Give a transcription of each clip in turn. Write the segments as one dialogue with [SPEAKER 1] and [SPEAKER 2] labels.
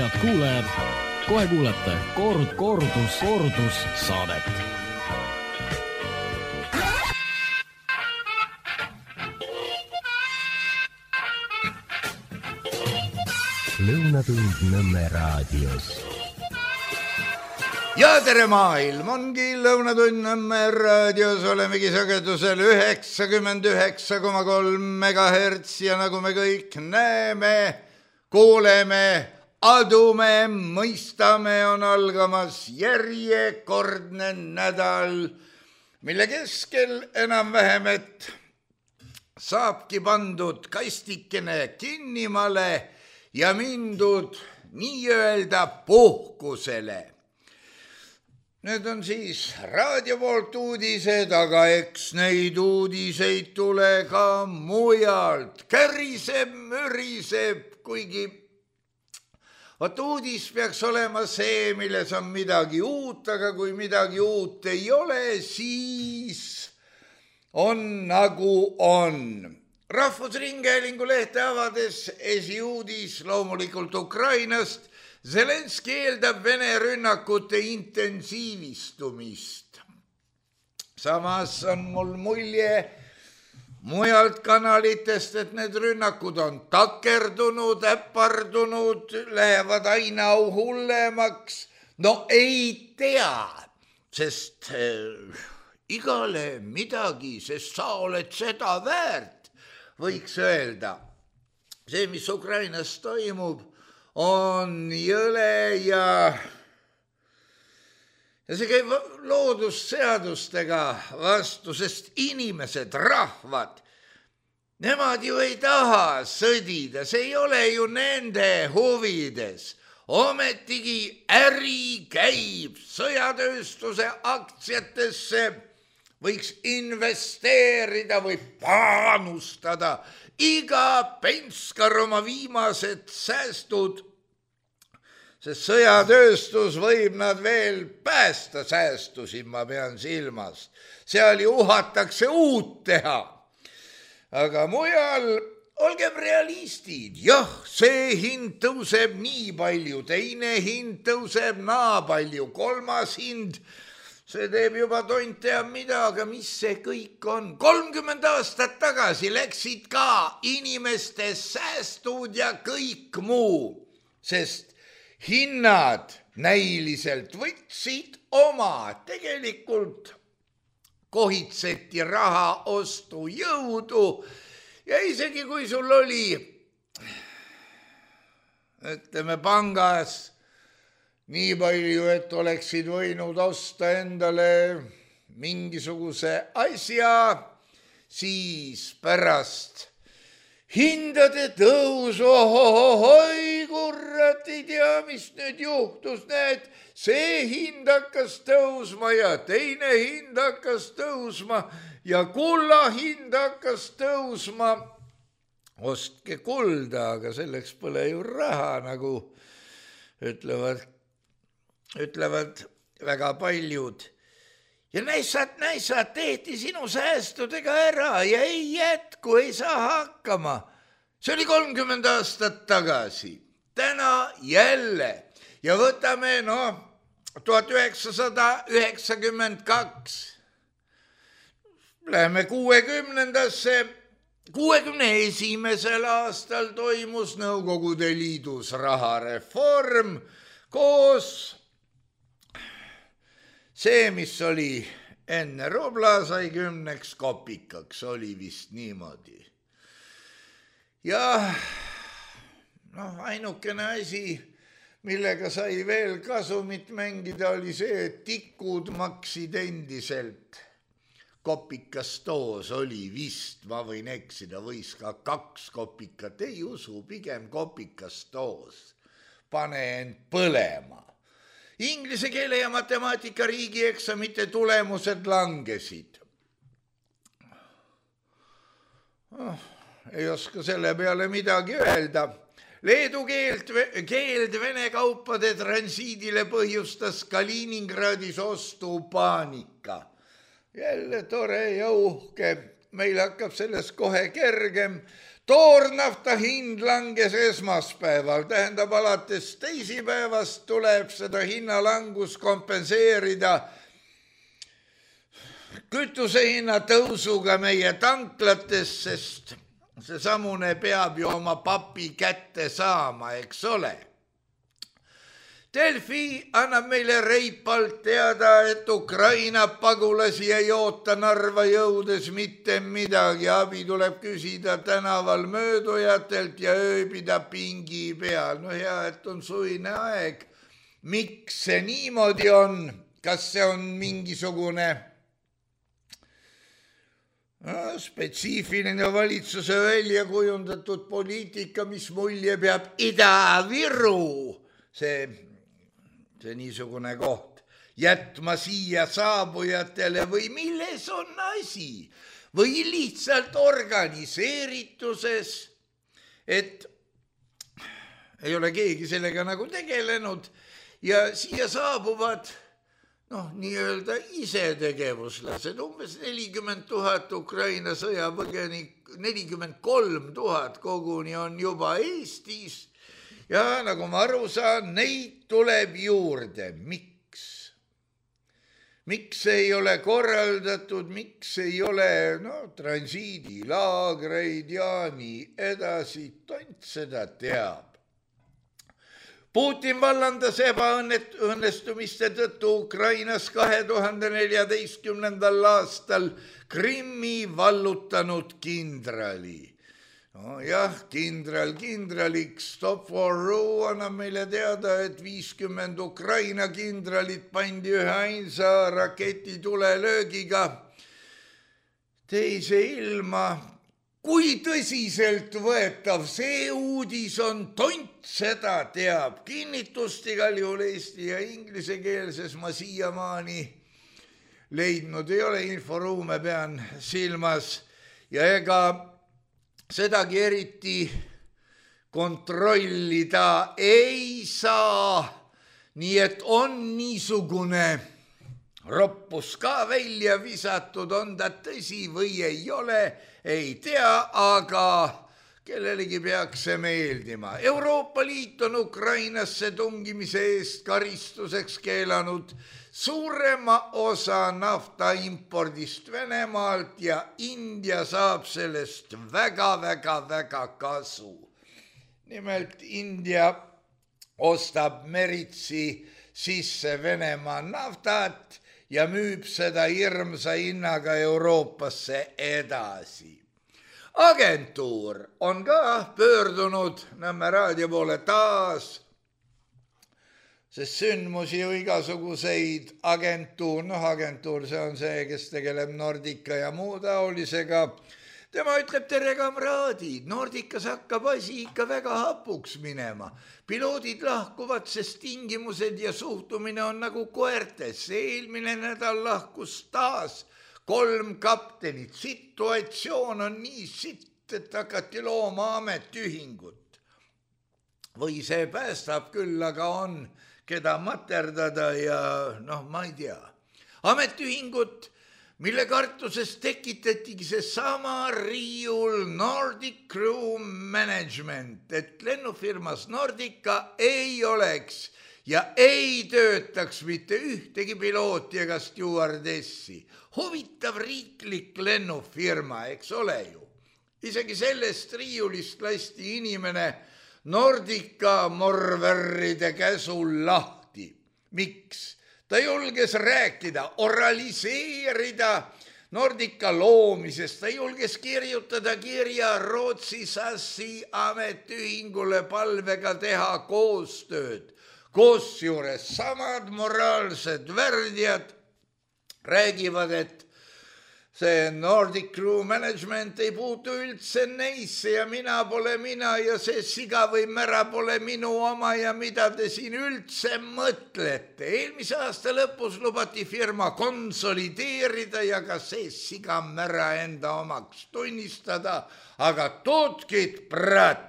[SPEAKER 1] Head kuulajad, kohe kuulete kordus saadet.
[SPEAKER 2] Lõunatund Nõmme raadios.
[SPEAKER 3] Ja tere maailm, ongi Lõunatund Nõmme raadios, olemegi sagedusel 99,3 MHz ja nagu me kõik näeme, kuuleme, adume, mõistame, on algamas järjekordne nädal, mille keskel enam-vähem, et saabki pandud kastikene kinnimale ja mindud nii-öelda puhkusele. Need on siis raadio poolt uudised, aga eks neid uudiseid tule ka mujalt. Käriseb, müriseb, kuigi uudis peaks olema see, milles on midagi uut, aga kui midagi uut ei ole, siis on nagu on. Rahvusringhäälingu lehte avades esiuudis loomulikult Ukrainast. Zelenski eeldab Vene rünnakute intensiivistumist. Samas on mul mulje mujalt kanalitest, et need rünnakud on takerdunud, äpardunud, lähevad aina hullemaks. No ei tea, sest igale midagi, sest sa oled seda väärt. Võiks öelda, see, mis Ukrainas toimub, on jõle ja see käib loodusseadustega vastu, sest inimesed, rahvad, nemad ju ei taha sõdida, see ei ole ju nende huvides. Ometigi äri käib sõjatööstuse aktsiatesse, võiks investeerida või panustada iga penskar oma viimased säästud, sest sõjatööstus võib nad veel päästa, säästusid ma pean silmas. Seal ju uhatakse uut teha. Aga mujal olgem realistid, jah, see hind tõuseb nii palju, teine hind tõuseb naa palju, kolmas hind, see teeb juba tont teab mida, aga mis see kõik on? 30 aastat tagasi läksid ka inimeste säästud ja kõik muu, sest hinnad näiliselt võtsid oma, tegelikult kohitseti raha ostujõudu ja isegi kui sul oli, ütleme, pangas nii palju, et oleksid võinud osta endale mingisuguse asja, siis pärast hindade tõusu, oi kurat, ei tea, mis nüüd juhtus, näed, see hind hakkas tõusma ja teine hind hakkas tõusma ja kulla hind hakkas tõusma. Ostke kulda, aga selleks pole ju raha, nagu ütlevad väga paljud. Ja näissad, tehti sinu säästudega ära ja ei jätku, ei saa hakkama. See oli 30 aastat tagasi. Täna jälle. Ja võtame, 1992. Läheme 60-ndasse. 61. aastal toimus Nõukogude Liidus rahareform koos see, mis oli enne rubla, sai 10 kopikaks, oli vist niimoodi. Ja ainukene asi, millega sai veel kasumit mängida, oli see, et tikud maksid endiselt. Kopikas toos oli vist, ma võin eksida, võis ka 2 kopikat, ei usu, pigem kopikas toos. Pane end põlema. Inglise keele ja matemaatika riigieksamite tulemused langesid. Ei oska selle peale midagi öelda. Leedu keeld Vene kaupade transiidile põhjustas Kaliningradis ostupaanika. Jälle tore ja uhke. Meil hakkab sellest kohe kergem. Toornafta hind langes esmaspäeval, tähendab alates teisipäevast tuleb seda hinnalangus kompenseerida kütusehinna tõusuga meie tanklates, sest seesamune peab ju oma papi kätte saama, eks ole. Delfi annab meile reipalt teada, et Ukraina pagulasi ei oota Narva jõudes mitte midagi. Abi tuleb küsida tänaval möödujatelt ja ööbida pingi peal. No hea, et on suvine aeg. Miks see niimoodi on? Kas see on mingisugune spetsiifiline valitsuse välja kujundatud poliitika, mis mulje peab Ida-Viru? See niisugune koht jätma siia saabujatele või milles on asi? Või lihtsalt organiseerituses, et ei ole keegi sellega nagu tegelenud ja siia saabuvad nii-öelda isetegevuslased, umbes 40 000 Ukraina sõjapõgenik, 43 000 koguni on juba Eestis. Ja nagu ma aru saan, neid tuleb juurde. Miks? Miks ei ole korraldatud, miks ei ole transiidilaagreid ja nii edasi, tont seda teab. Putin vallandas ebaõnnestumiste tõttu Ukrainas 2014. aastal Krimmi vallutanud kindrali. Jah, kindraliks Stop for Ru annab meile teada, et 50 Ukraina kindralit pandi ühe ainsa raketitulelöögiga teise ilma. Kui tõsiselt võetav see uudis on, tont seda teab. Kinnitust igal juhul eesti ja inglisekeelses ma siiamaani leidnud ei ole, inforuume pean silmas ja ega sedagi eriti kontrollida ei saa, nii et on niisugune roppus ka välja visatud, on ta tõsi või ei ole, ei tea, aga kellelegi peaks see meeldima. Euroopa Liit on Ukrainasse tungimise eest karistuseks keelanud suurema osa nafta impordist Venemaalt ja India saab sellest väga kasu. Nimelt India ostab meritsi sisse Venemaa naftat ja müüb seda hirmsa hinnaga Euroopasse edasi. Agentuur on ka pöördunud Nõmme raadio poole taas, sest sündmusi ju igasuguseid agentuur, see on see, kes tegeleb Nordica ja muu taolisega. Tema ütleb, tere kamraadid, Nordicas hakkab asi ikka väga hapuks minema. Piloodid lahkuvad, sest tingimused ja suhtumine on nagu koertes. Eelmine nädal lahkus taas 3 kaptenit. Situatsioon on nii sitt, et hakati looma ametiühingut. Või see päästab küll, aga on keda materdada ja ma ei tea. Ametiühingut, mille kartuses tekitatigi see sama riiul Nordic Crew Management, et lennufirmas Nordica ei oleks ja ei töötaks mitte ühtegi pilooti ega stjuardessi. Huvitav riiklik lennufirma, eks ole ju. Isegi sellest riiulist lasti inimene Nordica morverride käsul lahti. Miks? Ta julges rääkida, oraliseerida Nordica loomisest, ta julges kirjutada kirja Rootsi SAS-i ametiühingule palvega teha koostööd. Koosjuures samad moraalsed värdjad räägivad, et see Nordic Crew Management ei puutu üldse neisse ja mina pole mina ja see siga või mära pole minu oma ja mida te siin üldse mõtlete. Eelmise aasta lõpus lubati firma konsolideerida ja ka see siga mära enda omaks tunnistada, aga toodkid prat.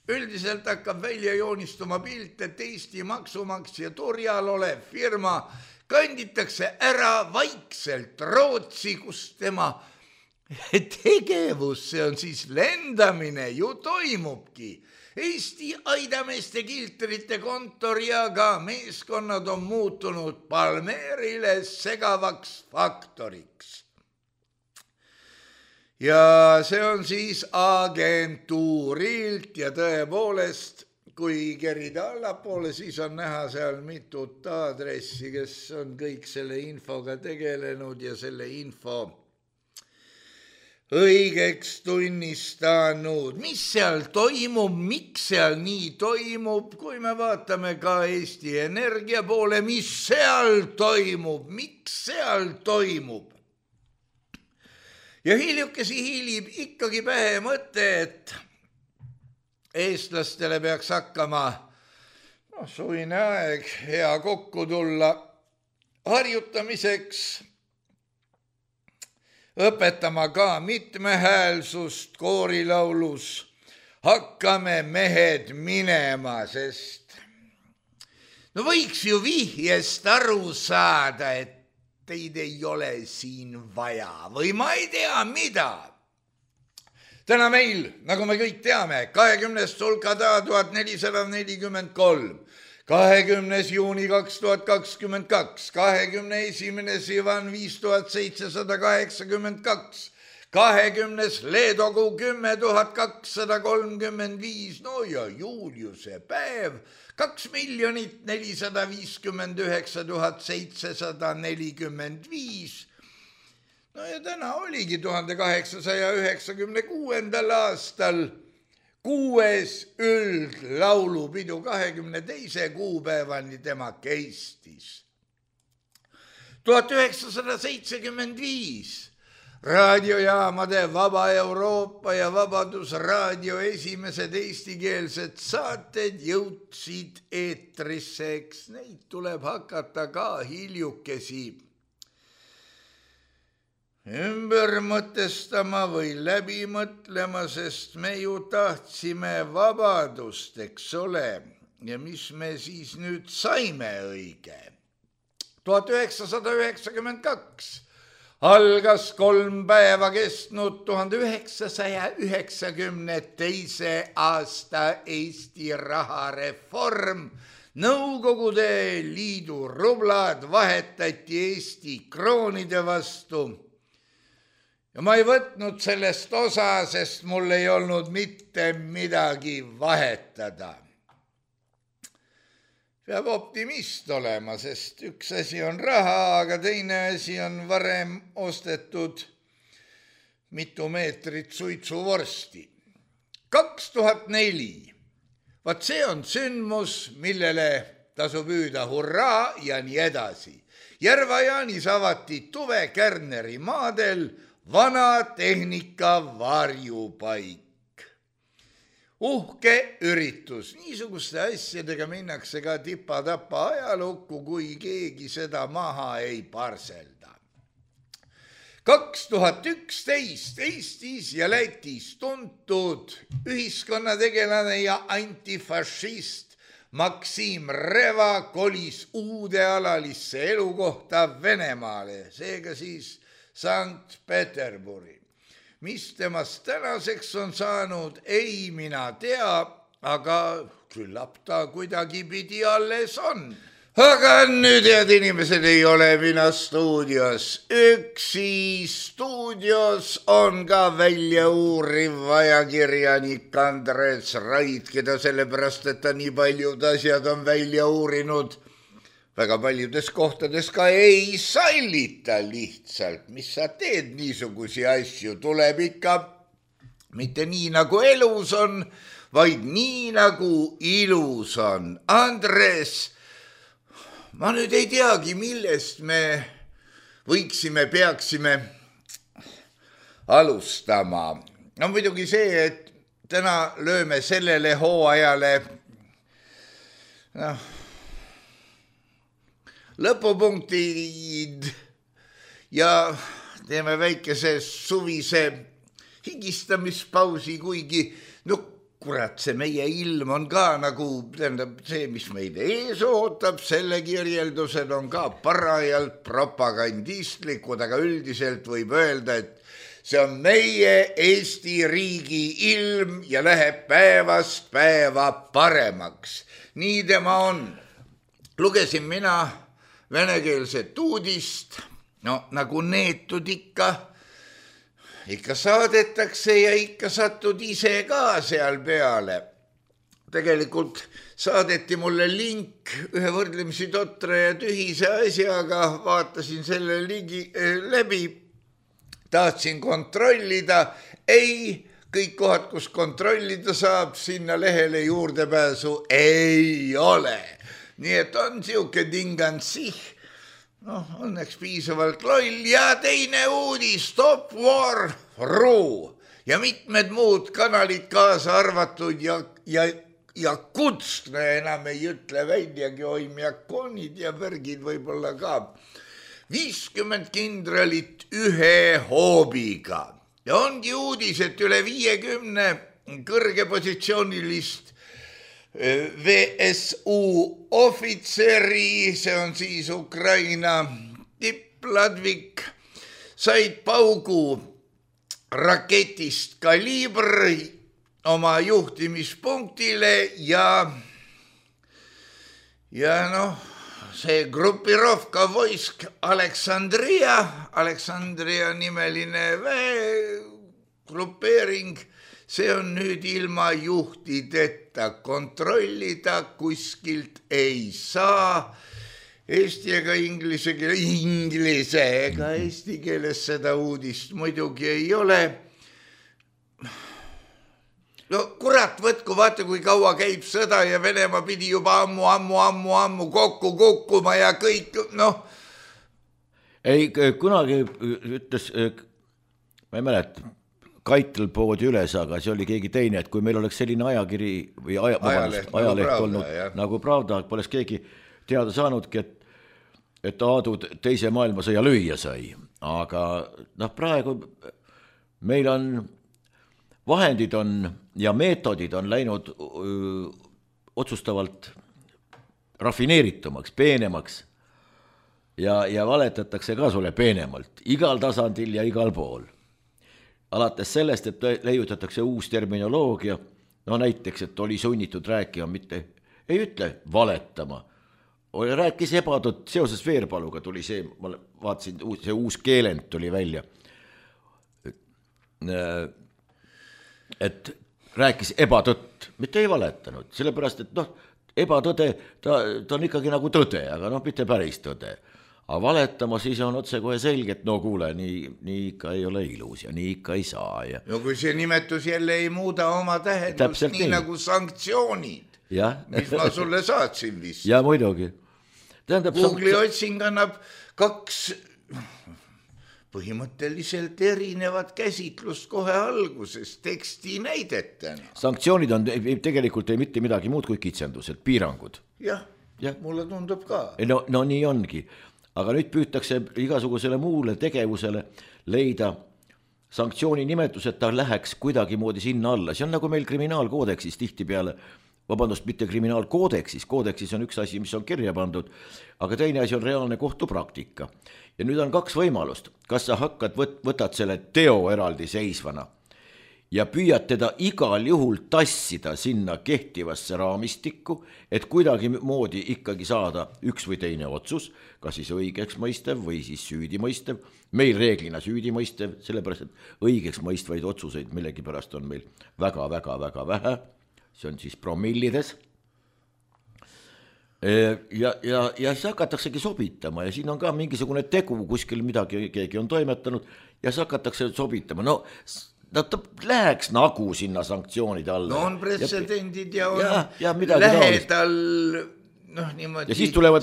[SPEAKER 3] Üldiselt hakkab välja joonistuma pilt, et Eesti maksumaksja turjal olev firma kanditakse ära vaikselt Rootsi, kus tema tegevus, see on siis lendamine, ju toimubki. Eesti aidameeste kiltrite kontor ja ka meeskonnad on muutunud Palmeerile segavaks faktoriks. Ja see on siis agentuurilt ja tõepoolest, kui kerida allapoole, siis on näha seal mitut aadressi, kes on kõik selle infoga tegelenud ja selle info õigeks tunnistanud. Mis seal toimub, miks seal nii toimub, kui me vaatame ka Eesti Energia poole, mis seal toimub, miks seal toimub. Ja hiljukesi hiilib ikkagi pähe mõte, et eestlastele peaks hakkama suvine aeg hea kokku tulla harjutamiseks, õpetama ka mitmehäälsust koorilaulus, hakkame mehed minema, sest võiks ju vihjest aru saada, et teid ei ole siin vaja või ma ei tea mida. Täna meil, nagu me kõik teame, 20. sulkada 1443, 20. juuni 2022, 21. Sivan 5782, 20. leedokuu 10 235, no ja Juliuse päev 2 459 745. No ja täna oligi 1896. aastal 6. üldlaulupidu 22. kuupäevani tema Eestis. 1975 raadiojaamade Vaba Euroopa ja Vabadusraadio esimesed eestikeelsed saated jõudsid eetrisse, eks neid tuleb hakata ka hiljukesi ümber mõtestama või läbi mõtlema, sest me ju tahtsime vabadust, eks ole, ja mis me siis nüüd saime õige. 1992 algas 3 päeva kestnud 1992. aasta Eesti rahareform. Nõukogude Liidu rublad vahetati Eesti kroonide vastu. Ja ma ei võtnud sellest osa, sest mul ei olnud mitte midagi vahetada. Peab optimist olema, sest üks asi on raha, aga teine asi on varem ostetud mitu meetrit suitsuvorsti. 2004. Vaat see on sündmus, millele tasub hüüda hurraa ja nii edasi. Järva-Jaanis avati Tuve Kärneri maadel vana tehnika varjupaik. Uhke üritus. Niisuguste asjadega minnakse ka tipa-tapa ajalukku, kui keegi seda maha ei parselda. 2011 Eestis ja Lätis tuntud ühiskonnategelane ja antifašist Maksim Reva kolis uude alalisse elukohta Venemaale, seega siis Sankt-Peterburi. Mis temast tänaseks on saanud, ei mina tea, aga küllap ta kuidagi pidi alles on. Aga nüüd, head inimesed, ei ole mina stuudios. Üksi stuudios on ka välja uuriv ajakirjanik Andres Raid, keda sellepärast, et ta nii paljud asjad on välja uurinud. Väga paljudes kohtades ka ei sallita lihtsalt. Mis sa teed niisugusi asju? Tuleb ikka mitte nii nagu elus on, vaid nii nagu ilus on. Andres, ma nüüd ei teagi, millest me peaksime alustama. No muidugi see, et täna lööme sellele hooajale lõpupunktid ja teeme väikese suvise higistamispausi, kuigi kurat, see meie ilm on ka nagu, tähendab see, mis meid ees ootab, selle kirjeldused on ka parajalt propagandistlikud, aga üldiselt võib öelda, et see on meie Eesti riigi ilm ja läheb päevast päeva paremaks. Nii tema on. Lugesin mina venekeelset uudist, no nagu neetud ikka saadetakse ja ikka satud ise ka seal peale. Tegelikult saadeti mulle link ühe võrdlemisi totre ja tühise asjaga, vaatasin selle läbi, tahtsin kontrollida, ei, kõik kohad, kus kontrollida saab, sinna lehele juurdepääsu ei ole. Nii et on siuke tingansih, õnneks piisavalt loll ja teine uudis, Top War Ru ja mitmed muud kanalid kaasa arvatud ja Kutsne enam ei ütle väljagi, oimjakonid ja värgid võib-olla ka. 50 kindralit ühe hoobiga ja ongi uudis, et üle 50 kõrgepositsioonilist VSU ohvitseri, see on siis Ukraina tippladvik, said paugu raketist Kalibr oma juhtimispunktile ja see grupirovka vojsk Aleksandria nimeline grupeering, see on nüüd ilma juhtideta, kontrollida kuskilt ei saa. Eesti ega inglise ega eesti keeles seda uudist muidugi ei ole. No kurat, võtku, vaata kui kaua käib sõda ja Venemaa pidi juba ammu kokku kukkuma ja kõik,
[SPEAKER 2] Ei, kunagi ütles, ma ei mäleta, Kaitel poodi üles, aga see oli keegi teine, et kui meil oleks selline ajakiri või ajaleht olnud nagu Pravda, poleks keegi teada saanudki, et Aadu teise maailmasõja lüüa sai. Aga praegu meil on vahendid ja meetodid on läinud otsustavalt rafineeritumaks, peenemaks ja valetatakse ka sulle peenemalt igal tasandil ja igal pool. Alates sellest, et leiutatakse uus terminoloogia, näiteks, et oli sunnitud rääkima, mitte ei ütle valetama, rääkis ebatõtt, seoses Veerpaluga tuli see, ma vaatasin, see uus keelend tuli välja, et rääkis ebatõtt, mitte ei valetanud, sellepärast, et ebatõde, ta on ikkagi nagu tõde, aga mitte päris tõde. Aga valetama siis on otse kohe selge, et kuule, nii ikka ei ole ilus ja nii ikka ei saa.
[SPEAKER 3] No kui see nimetus jälle ei muuda oma tähendust, nii nagu sanktsioonid, mis ma sulle saatsin vist.
[SPEAKER 2] Ja muidugi.
[SPEAKER 3] Google'i otsing annab 2 põhimõtteliselt erinevat käsitlust kohe alguses teksti näidetena.
[SPEAKER 2] Sanktsioonid on tegelikult ei mitte midagi muud kui kitsendused, piirangud.
[SPEAKER 3] Jah, mulle tundub ka.
[SPEAKER 2] No nii ongi. Aga nüüd püütakse igasugusele muule tegevusele leida sanktsiooni nimetus, et ta läheks kuidagi moodi sinna alla. See on nagu meil kriminaalkoodeksis tihtipeale, mitte kriminaalkoodeksis, koodeksis on üks asi, mis on kirja pandud, aga teine asi on reaalne kohtupraktika. Ja nüüd on 2 võimalust, kas sa hakkad, võtad selle teo eraldi seisvana ja püüad teda igal juhul tassida sinna kehtivasse raamistikku, et kuidagi moodi ikkagi saada üks või teine otsus, kas siis õigeks mõistev või siis süüdimõistev. Meil reeglina süüdimõistev, sellepärast, et õigeks mõistvaid otsuseid millegipärast on meil väga vähe, see on siis promillides. Ja siis hakataksegi sobitama ja siin on ka mingisugune tegu, kuskil midagi keegi on toimetanud ja siis hakatakse sobitama. Ta läheks nagu sinna sanktsioonide alla.
[SPEAKER 3] No on pretsedendid ja on lähedal niimoodi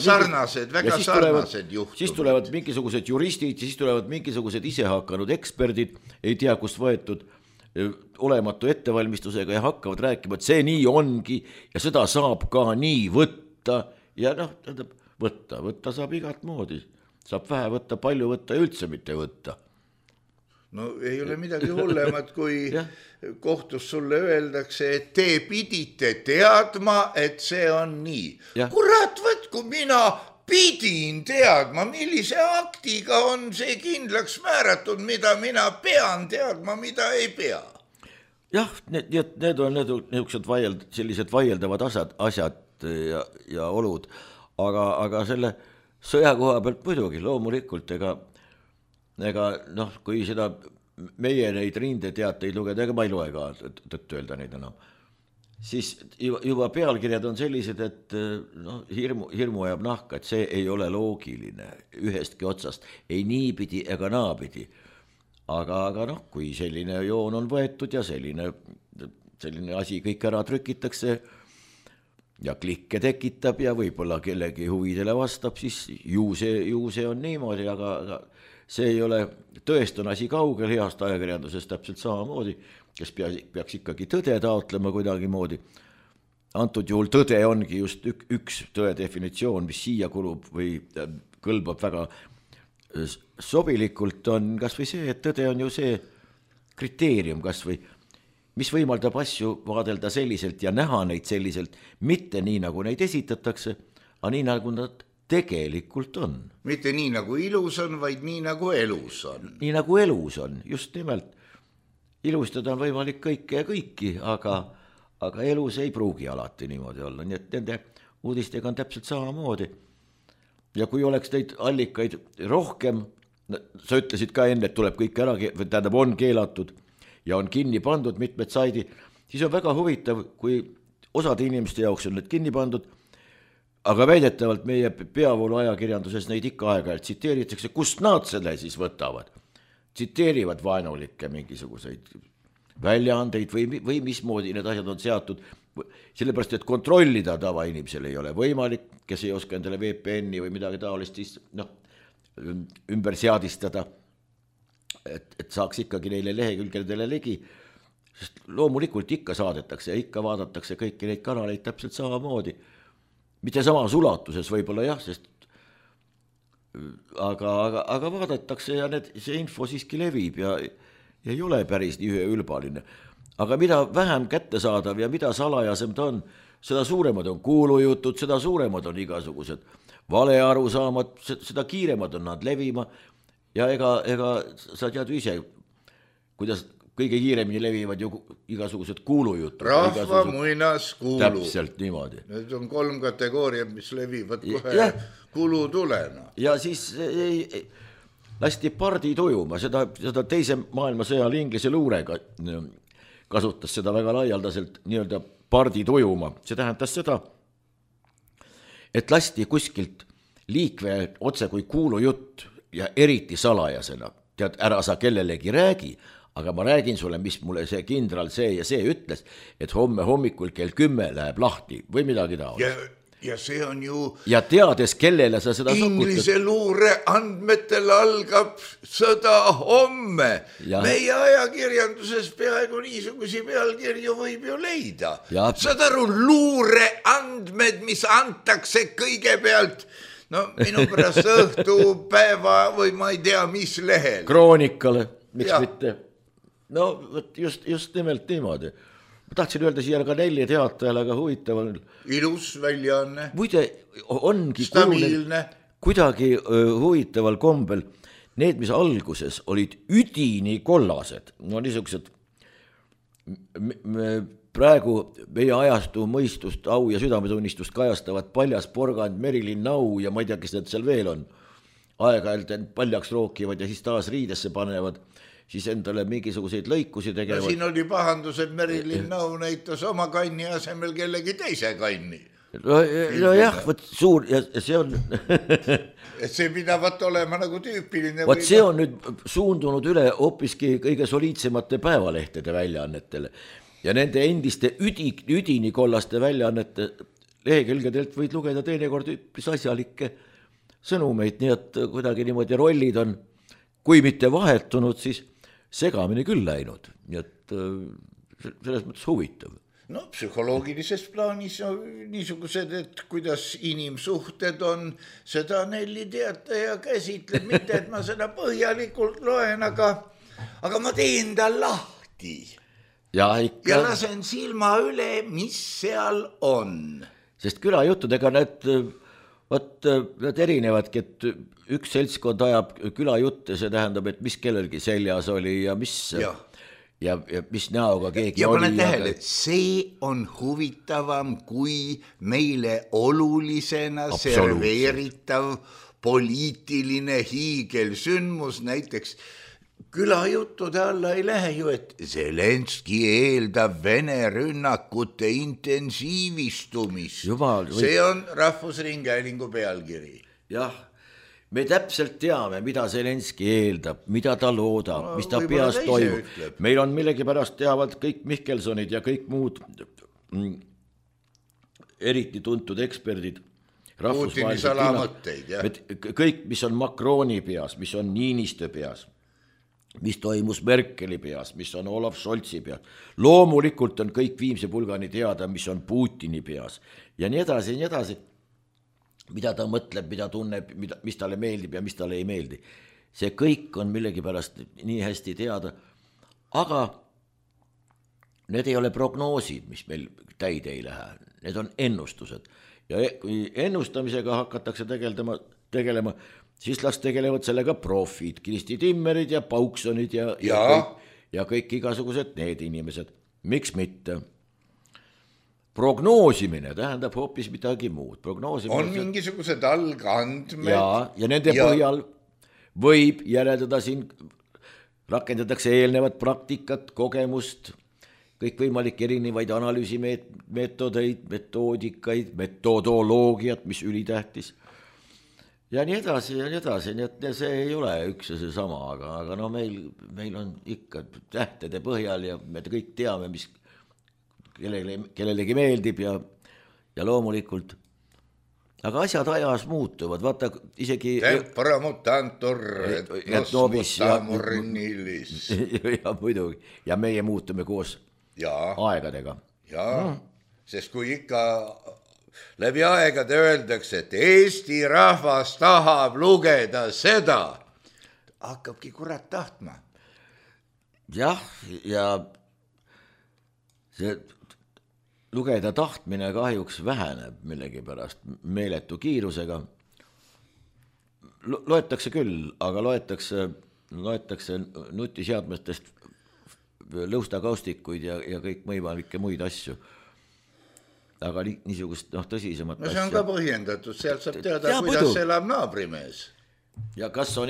[SPEAKER 3] sarnased, väga sarnased juhtumid.
[SPEAKER 2] Siis tulevad mingisugused juristid, siis tulevad mingisugused isehakanud eksperdid, ei tea kust võetud olematu ettevalmistusega ja hakkavad rääkima, et see nii ongi ja seda saab ka nii võtta ja võtta saab igat moodi. Saab vähe võtta, palju võtta ja üldse mitte võtta.
[SPEAKER 3] No ei ole midagi hullemat, kui kohtus sulle öeldakse, et te pidite teadma, et see on nii. Kurat, võtku mina pidin teadma, millise aktiga on see kindlaks määratud, mida mina pean teadma, mida ei pea.
[SPEAKER 2] Jah, need on sellised vaieldavad asjad ja olud, aga selle sõja koha pealt muidugi loomulikult, ega noh, kui seda meie neid rindeteateid lugeda, ega ma ei loe ka tõtt öelda neid enam, siis juba pealkirjad on sellised, et no, hirmu ajab nahka, et see ei ole loogiline ühestki otsast, ei niipidi ega naapidi. Aga noh, kui selline joon on võetud ja selline asi kõik ära trükitakse ja klikke tekitab ja võib-olla kellegi huvidele vastab, siis ju see on niimoodi, aga see ei ole, tõest on asi kaugel heast ajakirjandusest täpselt samamoodi, kes peaks ikkagi tõde taotlema kuidagi moodi. Antud juhul tõde ongi just üks tõe definitsioon, mis siia kulub või kõlbab väga sobilikult, on kas või see, et tõde on ju see kriteerium kas või, mis võimaldab asju vaadelda selliselt ja näha neid selliselt, mitte nii, nagu neid esitatakse, aga nii, nagu nad tegelikult on.
[SPEAKER 3] Mitte nii, nagu ilus on, vaid nii, nagu elus on.
[SPEAKER 2] Nii, nagu elus on, just nimelt. Ilustada on võimalik kõike ja kõiki, aga elus ei pruugi alati niimoodi olla, nii et nende uudistega on täpselt samamoodi. Ja kui oleks neid allikaid rohkem, sa ütlesid ka enne, et tuleb kõik ära, tähendab on keelatud ja on kinni pandud mitmed saidi, siis on väga huvitav, kui osade inimeste jaoks on need kinni pandud, aga väidetavalt meie peavoolu ajakirjanduses neid ikka aeg-ajalt tsiteeritakse, kust nad selle siis võtavad. Tsiteerivad vaenulikke mingisuguseid väljaandeid või mismoodi need asjad on seatud, sellepärast, et kontrollida tavainimesel ei ole võimalik, kes ei oska endale VPN-i või midagi taolist siis ümber seadistada, et saaks ikkagi neile lehekülgedele ligi, sest loomulikult ikka saadetakse ja ikka vaadatakse kõiki neid kanaleid täpselt samamoodi, mitte samas ulatuses võib-olla jah, sest aga vaadatakse ja see info siiski levib ja ei ole päris nii üheülbaline. Aga mida vähem kättesaadav ja mida salajasem ta on, seda suuremad on kuulujutud, seda suuremad on igasugused valearusaamad, seda kiiremad on nad levima ja ega sa tead ju ise, kuidas kõige kiiremini levivad ju igasugused kuulujutud.
[SPEAKER 3] Rahva muinas kuulu.
[SPEAKER 2] Täpselt niimoodi.
[SPEAKER 3] Need on 3 kategooriad, mis levivad kohe kulutulena.
[SPEAKER 2] Ja siis lasti pardi tujuma, seda teise maailmasõja ajal Inglise luurega kasutas seda väga laialdaselt nii-öelda pardi tujuma. See tähendas seda, et lasti kuskilt liikve otse kui kuulujutt ja eriti salajasena. Tead, ära sa kellelegi räägi, aga ma räägin sulle, mis mulle see kindral see ja see ütles, et homme hommikul kell 10 läheb lahti või midagi taolist.
[SPEAKER 3] Ja see on ju...
[SPEAKER 2] Ja teades, kellele sa seda
[SPEAKER 3] Inglise luure andmetel algab sõda homme. Meie ajakirjanduses peaaegu niisugusi pealkirju võib ju leida. Saad aru, luure andmed, mis antakse kõigepealt, no minu pärast õhtu, päeva või ma ei tea, mis lehel.
[SPEAKER 2] Kroonikale, miks mitte. No just nimelt niimoodi. Ma tahtsin öelda siia ka 4 teatajale, aga huvitaval.
[SPEAKER 3] Ilus väljaanne.
[SPEAKER 2] Muide, ongi
[SPEAKER 3] stabiilne.
[SPEAKER 2] Kuidagi huvitaval kombel need, mis alguses olid üdini kollased, no niisugused praegu meie ajastu mõistust, au ja südametunnistust kajastavad Paljas Porgand, Merilin Nau ja ma ei tea, kes need seal veel on. Aeg-ajalt paljaks rookivad ja siis taas riidesse panevad. Siis endale mingisuguseid lõikusi tegevad.
[SPEAKER 3] No siin oli pahandus, et Merilin Nau näitas oma kanni asemel kellegi teise kanni.
[SPEAKER 2] No jah, võt suur, ja see on...
[SPEAKER 3] et see pidavat olema nagu tüüpiline.
[SPEAKER 2] Võt see on nüüd suundunud üle hoopiski kõige soliidsemate päevalehtede väljaannetele. Ja nende endiste üdini kollaste väljaannete lehekülgedelt võid lugeda teinekord üpris asjalikke sõnumeid, nii et kuidagi niimoodi rollid on, kui mitte vahetunud, siis segamini küll läinud, nii et selles mõttes huvitav.
[SPEAKER 3] No psühholoogilises plaanis niisugused, et kuidas inimsuhted on, seda Nelli Teataja käsitleb, mitte et ma seda põhjalikult loen, aga ma teen ta lahti
[SPEAKER 2] ja
[SPEAKER 3] lasen silma üle, mis seal on.
[SPEAKER 2] Sest külajuttudega need Vot nad erinevadki, et üks seltskond ajab külajutte, see tähendab, et mis kellelgi seljas oli ja mis mis näoga keegi
[SPEAKER 3] ja
[SPEAKER 2] oli.
[SPEAKER 3] Ja pane tähele, see on huvitavam kui meile olulisena serveeritav poliitiline hiigelsündmus, näiteks külajuttude alla ei lähe ju, et Zelenski eeldab Vene rünnakute intensiivistumist. See on Rahvusringhäälingu pealkiri.
[SPEAKER 2] Jah, me täpselt teame, mida Zelenski eeldab, mida ta loodab, mis ta peas toimub. Meil on millegipärast teavad kõik Mihkelsonid ja kõik muud eriti tuntud eksperdid.
[SPEAKER 3] Putini salamõtteid, jah.
[SPEAKER 2] Kõik, mis on Macroni peas, mis on Niinistö peas, mis toimus Merkeli peas, mis on Olaf Scholzi peas. Loomulikult on kõik viimse pulgani teada, mis on Putini peas ja nii edasi, mida ta mõtleb, mida tunneb, mis talle meeldib ja mis talle ei meeldi. See kõik on millegipärast nii hästi teada, aga need ei ole prognoosid, mis meil täide ei lähe, need on ennustused. Ja kui ennustamisega hakatakse tegelema, siis las tegelevad sellega profid, Kristi Timmerid ja Pauksonid ja kõik igasugused need inimesed. Miks mitte? Prognoosimine tähendab hoopis midagi muud.
[SPEAKER 3] On mingisugused algandmed.
[SPEAKER 2] Ja nende põhjal võib järeldada siin, rakendatakse eelnevat praktikat, kogemust, kõikvõimalik erinevaid analüüsimeetodeid, metoodikaid, metodoloogiat, mis ülitähtis. Ja nii edasi, nii et see ei ole üks ja see sama, aga no meil on ikka tähtede põhjal ja me kõik teame, mis kellelegi meeldib ja loomulikult. Aga asjad ajas muutuvad, vaata isegi...
[SPEAKER 3] Tempora mutantur, et nos mutamurnilis.
[SPEAKER 2] Ja muidugi, ja meie muutume koos aegadega.
[SPEAKER 3] Sest kui ikka läbi aegade öeldakse, et Eesti rahvas tahab lugeda seda, hakkabki kurat tahtma.
[SPEAKER 2] Jah, ja see lugeda tahtmine kahjuks väheneb millegipärast meeletu kiirusega. Loetakse küll, aga loetakse nutiseadmetest lõustakaustikuid ja kõik võimalikke muid asju. Aga niisugust tõsisemat
[SPEAKER 3] asja. No see on ka põhjendatud, sealt saab teada, kuidas elab naabrimees.
[SPEAKER 2] Ja kas on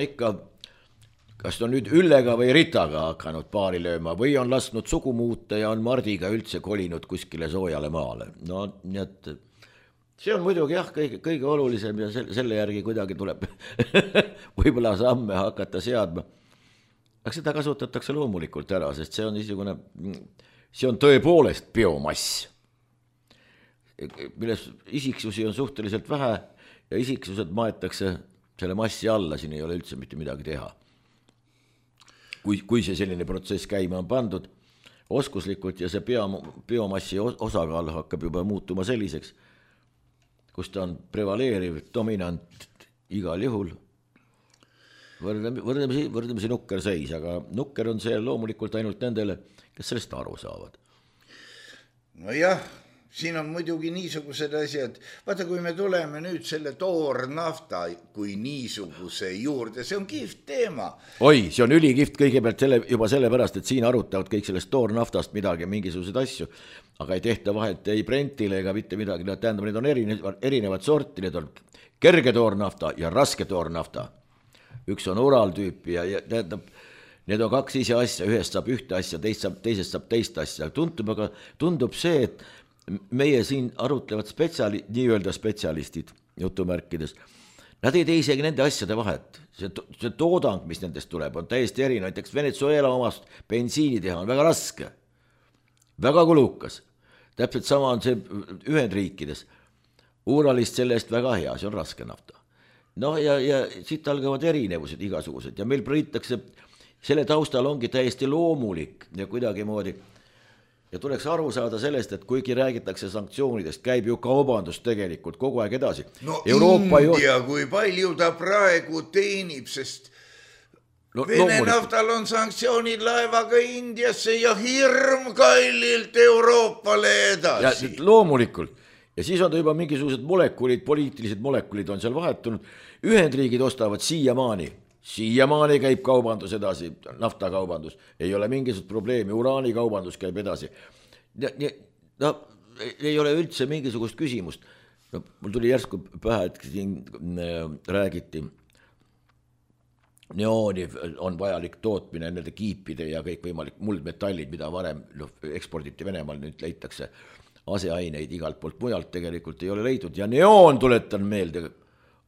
[SPEAKER 2] nüüd Üllega või Ritaga hakanud paari lööma või on lasknud sugu muuta ja on Mardiga üldse kolinud kuskile soojale maale. No nii et see on muidugi kõige olulisem ja selle järgi kuidagi tuleb võib-olla samme hakata seadma. Aga seda kasutatakse loomulikult ära, sest see on tõepoolest biomass, milles isiksusi on suhteliselt vähe ja isiksused maetakse selle massi alla, siin ei ole üldse mitte midagi teha. Kui see selline protsess käima on pandud oskuslikult ja see biomassi osakaal hakkab juba muutuma selliseks, kus ta on prevaleeriv, dominant igal juhul. Võrdlemisi nukker seis, aga nukker on see loomulikult ainult nendele, kes sellest aru saavad.
[SPEAKER 3] No jah, siin on muidugi niisugused asjad, vaata kui me tuleme nüüd selle toornafta kui niisuguse juurde, see on kihvt teema.
[SPEAKER 2] Oi, see on ülikiht kõigepealt juba sellepärast, et siin arutavad kõik sellest toornaftast midagi, mingisuguseid asju, aga ei tehta vahet ei Brentile ega mitte midagi, tähendab, need on erinevad sorti, need on kerge toornafta ja raske toornafta. Üks on oraaltüüpi ja tähendab, need on kaks ise asja, ühest saab ühte asja, teisest saab teist asja. Tundub see, et meie siin arutlevad nii-öelda spetsialistid jutumärkides, nad ei tee isegi nende asjade vahet. See toodang, mis nendest tuleb, on täiesti eri. Näiteks Venezuela omast bensiini teha on väga raske, väga kulukas. Täpselt sama on see Ühendriikides. Uuralist sellest väga hea, see on raske nafta. No ja siit algavad erinevused igasugused ja meil priitakse, selle taustal ongi täiesti loomulik ja kuidagi moodi. Ja tuleks aru saada sellest, et kuigi räägitakse sanktsioonidest, käib ju kaubandus tegelikult kogu aeg edasi.
[SPEAKER 3] No India, kui palju ta praegu teenib, sest Vene naftal on sanktsioonid laevaga Indiasse ja hirm kallilt Euroopale edasi.
[SPEAKER 2] Ja loomulikult. ja siis on ta juba mingisugused molekulid, poliitilised molekulid on seal vahetunud. Ühendriigid ostavad siiamaani käib kaubandus edasi, naftakaubandus, ei ole mingisugust probleemi, uraanikaubandus käib edasi. No ei ole üldse mingisugust küsimust. No, mul tuli järsku pähe, et siin räägiti, neooni on vajalik tootmine, nende kiipide ja kõik võimalik muldmetallid, mida varem eksporditi Venemaal, nüüd leitakse aseaineid igalt poolt mujalt, tegelikult ei ole leidnud ja neoon, tuletan meelde,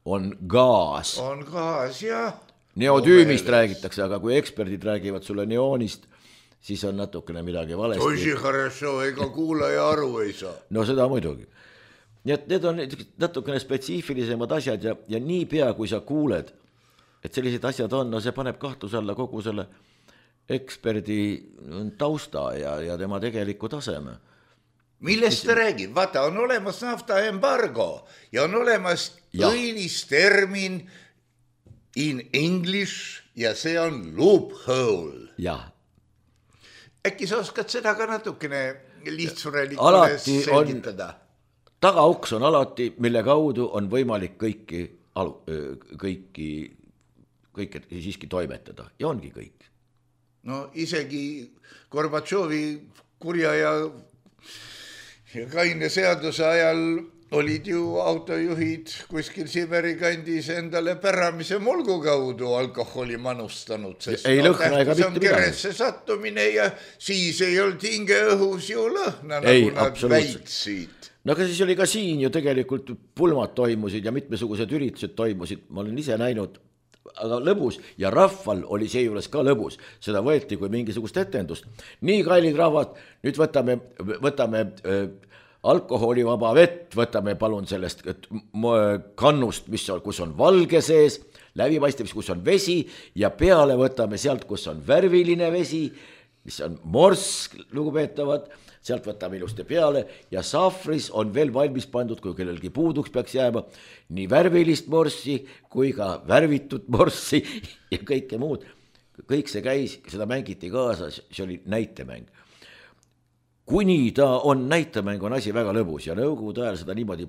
[SPEAKER 2] on gaas.
[SPEAKER 3] On gaas, jah.
[SPEAKER 2] Neotüümist räägitakse, aga kui eksperdid räägivad sulle neoonist, siis on natukene midagi valesti.
[SPEAKER 3] Toisi хорошо, ega kuulaja aru ei saa.
[SPEAKER 2] No seda muidugi. Nii et need on natukene spetsiifilisemad asjad ja nii pea, kui sa kuuled, et sellised asjad on, no see paneb kahtluse alla kogu selle eksperdi tausta ja tema tegeliku taseme.
[SPEAKER 3] Millest ta räägib? Vaata, on olemas naftaembargo ja on olemas õilistermin in English ja see on loophole.
[SPEAKER 2] Jah.
[SPEAKER 3] Äkki sa oskad seda ka natukene lihtsurelikule selgitada?
[SPEAKER 2] Tagauks on alati, mille kaudu on võimalik kõike siiski toimetada ja ongi kõik.
[SPEAKER 3] No isegi Gorbatšovi kurja ja kaine seaduse ajal olid ju autojuhid kuskil Siberi kandis endale päramise mulgu kaudu alkoholi manustanud, sest
[SPEAKER 2] ei lõhna ega mitte midagi.
[SPEAKER 3] Keresse sattumine ja siis ei olnud hinge õhus ju lõhna, nagu nad väitsid.
[SPEAKER 2] No aga siis oli ka siin ju tegelikult pulmad toimusid ja mitmesugused üritused toimusid, ma olen ise näinud, aga lõbus ja rahval oli seejuures ka lõbus, seda võeti kui mingisugust etendust. Nii kallid rahvad, nüüd võtame alkoholivaba vett, võtame palun sellest kannust, kus on valge sees, läbipaistev, kus on vesi ja peale võtame sealt, kus on värviline vesi, mis on morsk, lugupeetavad, sealt võtame ilusti peale ja sahvris on veel valmis pandud, kui kellelgi puuduks peaks jääma, nii värvilist morssi kui ka värvitud morssi ja kõike muud. Kõik see käis, seda mängiti kaasa, see oli näitemäng. Kuni ta on näitemäng, on asi väga lõbus ja nõukogude ajal seda niimoodi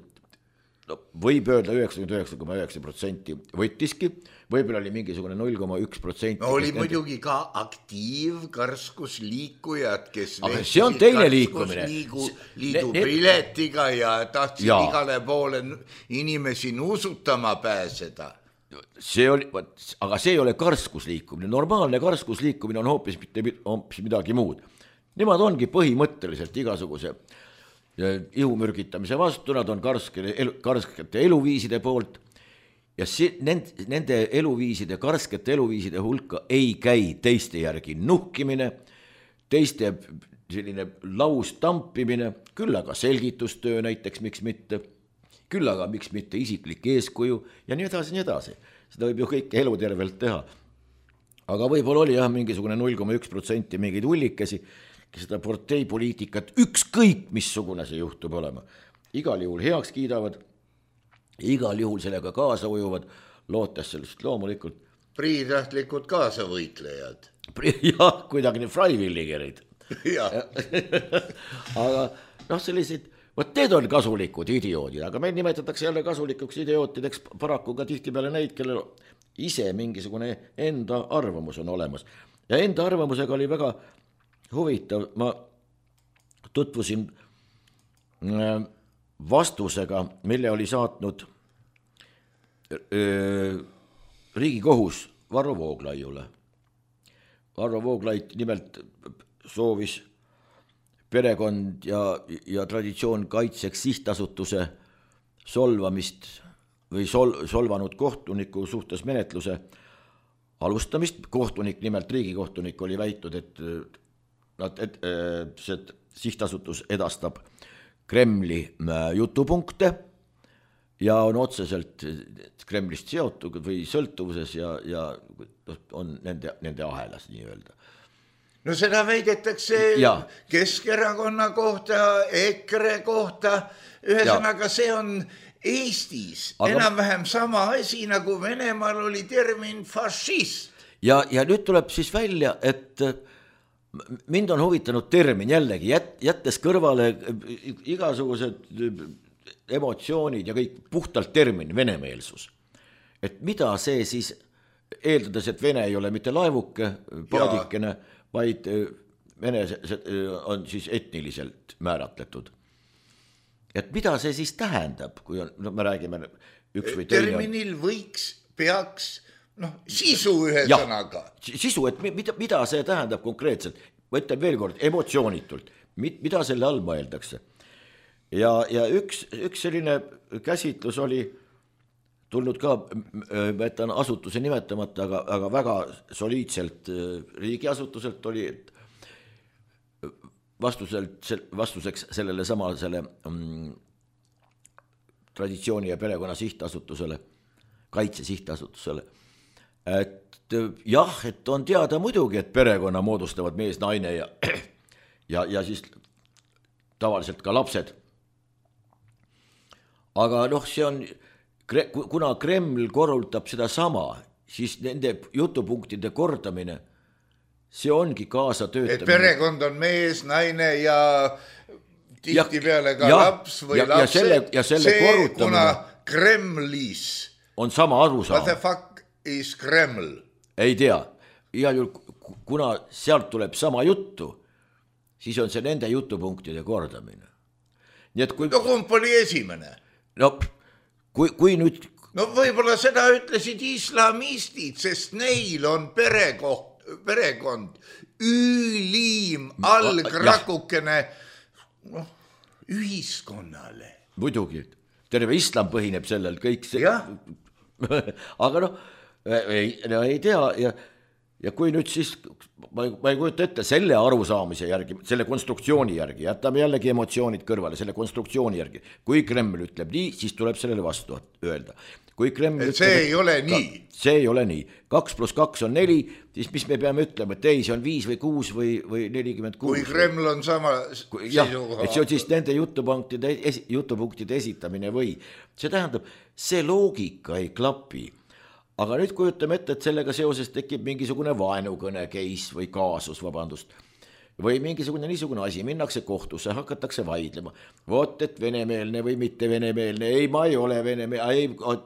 [SPEAKER 2] võib öelda 99,9% võttiski, võib-olla oli mingisugune 0,1%.
[SPEAKER 3] No oli muidugi ka aktiivkarskusliikujad, kes
[SPEAKER 2] see on teine liikumine.
[SPEAKER 3] Liidu piletiga ja tahtsid igale poole inimesi nuusutama pääseda.
[SPEAKER 2] Aga see ei ole karskusliikumine. Normaalne karskusliikumine on hoopis midagi muud. Nemad ongi põhimõtteliselt igasuguse ihumürgitamise vastu, nad on karskete eluviiside poolt ja nende eluviiside, karskete eluviiside hulka ei käi teiste järgi nuhkimine, teiste selline laustampimine, küll aga selgitustöö näiteks, miks mitte, küll aga miks mitte isiklik eeskuju ja nii edasi, nii edasi. Seda võib ju kõike elutervelt teha. Aga võib-olla oli mingisugune 0,1% mingeid hullikesi, kes seda parteipoliitikat ükskõik missugune see juhtub olema. Igal juhul heaks kiidavad, igal juhul sellega kaasa ujuvad, lootes sellest loomulikult.
[SPEAKER 3] Priitahtlikud kaasavõitlejad.
[SPEAKER 2] Jah, kuidagi nii freiwilligerid. Aga sellised, need on kasulikud idioodid, aga meil nimetatakse jälle kasulikuks idiootideks paraku ka tihtipeale neid, kellel ise mingisugune enda arvamus on olemas. Ja enda arvamusega oli väga huvitav, ma tutvusin vastusega, mille oli saatnud Riigikohus Varro Vooglaiule. Varro Vooglaid nimelt soovis perekond ja traditsioon kaitseks sihtasutuse solvamist või solvanud kohtuniku suhtes menetluse alustamist. Kohtunik, nimelt riigikohtunik oli väitud, et see sihtasutus edastab Kremli jutupunkte ja on otseselt Kremlist seotud või sõltuvuses ja on nende ahelas nii öelda.
[SPEAKER 3] No seda väidetakse Keskerakonna kohta, EKRE kohta, ühesõnaga see on Eestis enam-vähem sama asi, nagu Venemaal oli termin fašist.
[SPEAKER 2] Ja nüüd tuleb siis välja, et mind on huvitanud termin jällegi, jättes kõrvale igasugused emotsioonid ja kõik puhtalt termin venemeelsus. Et mida see siis, eeldades, et Vene ei ole mitte laevuke, paadikene, vaid Vene on siis etniliselt määratletud. Et mida see siis tähendab, kui on, no me räägime üks või teine.
[SPEAKER 3] Terminil peaks, sisu ühe sõnaga.
[SPEAKER 2] Sisu, et mida see tähendab konkreetselt, ma ütlen veel kord, emotsioonitult, mida selle all mõeldakse. Ja üks selline käsitlus oli tulnud ka, ma jätan asutuse nimetamata, aga väga soliidselt riigiasutuselt oli vastuseks sellele samale traditsiooni ja perekonna sihtasutusele, kaitse sihtasutusele, et jah, et on teada muidugi, et perekonna moodustavad mees, naine ja siis tavaliselt ka lapsed. Aga see on, kuna Kreml korrutab seda sama, siis nende jutupunktide kordamine, see ongi kaasa töötamine. Et
[SPEAKER 3] perekond on mees, naine ja tihtipeale ka laps või lapsed. See, kuna Kremlis
[SPEAKER 2] on sama arusaam.
[SPEAKER 3] What the fuck is Kreml?
[SPEAKER 2] Ei tea. Igal juhul, kuna sealt tuleb sama juttu, siis on see nende jutupunktide kordamine. Nii et kui...
[SPEAKER 3] kumb oli esimene?
[SPEAKER 2] Kui nüüd...
[SPEAKER 3] võib-olla seda ütlesid islamistid, sest neil on perekond, ülim, allkrakukene ühiskonnale.
[SPEAKER 2] Muidugi, terve islam põhineb sellel kõik see. Aga ei tea ja kui nüüd siis, ma ei kujuta ette selle arusaamise järgi, selle konstruktsiooni järgi, jätame jällegi emotsioonid kõrvale, selle konstruktsiooni järgi, kui Kreml ütleb nii, siis tuleb sellele vastu öelda. Kui Kreml
[SPEAKER 3] see ei ole nii.
[SPEAKER 2] See ei ole nii. 2 + 2 on 4, siis mis me peame ütlema, et ei, see on 5 või 6 või 46.
[SPEAKER 3] Kui Kreml on sama seisukoha.
[SPEAKER 2] Et see on siis nende jutupunktide esitamine või. See tähendab, see loogika ei klapi. Aga nüüd kujutame ette, et sellega seoses tekib mingisugune vaenukõne case või kaasus, vabandust. Või mingisugune niisugune asi, minnakse kohtusse, hakatakse vaidlema. Vot, et venemeelne või mitte venemeelne, ei, ma ei ole venemeelne,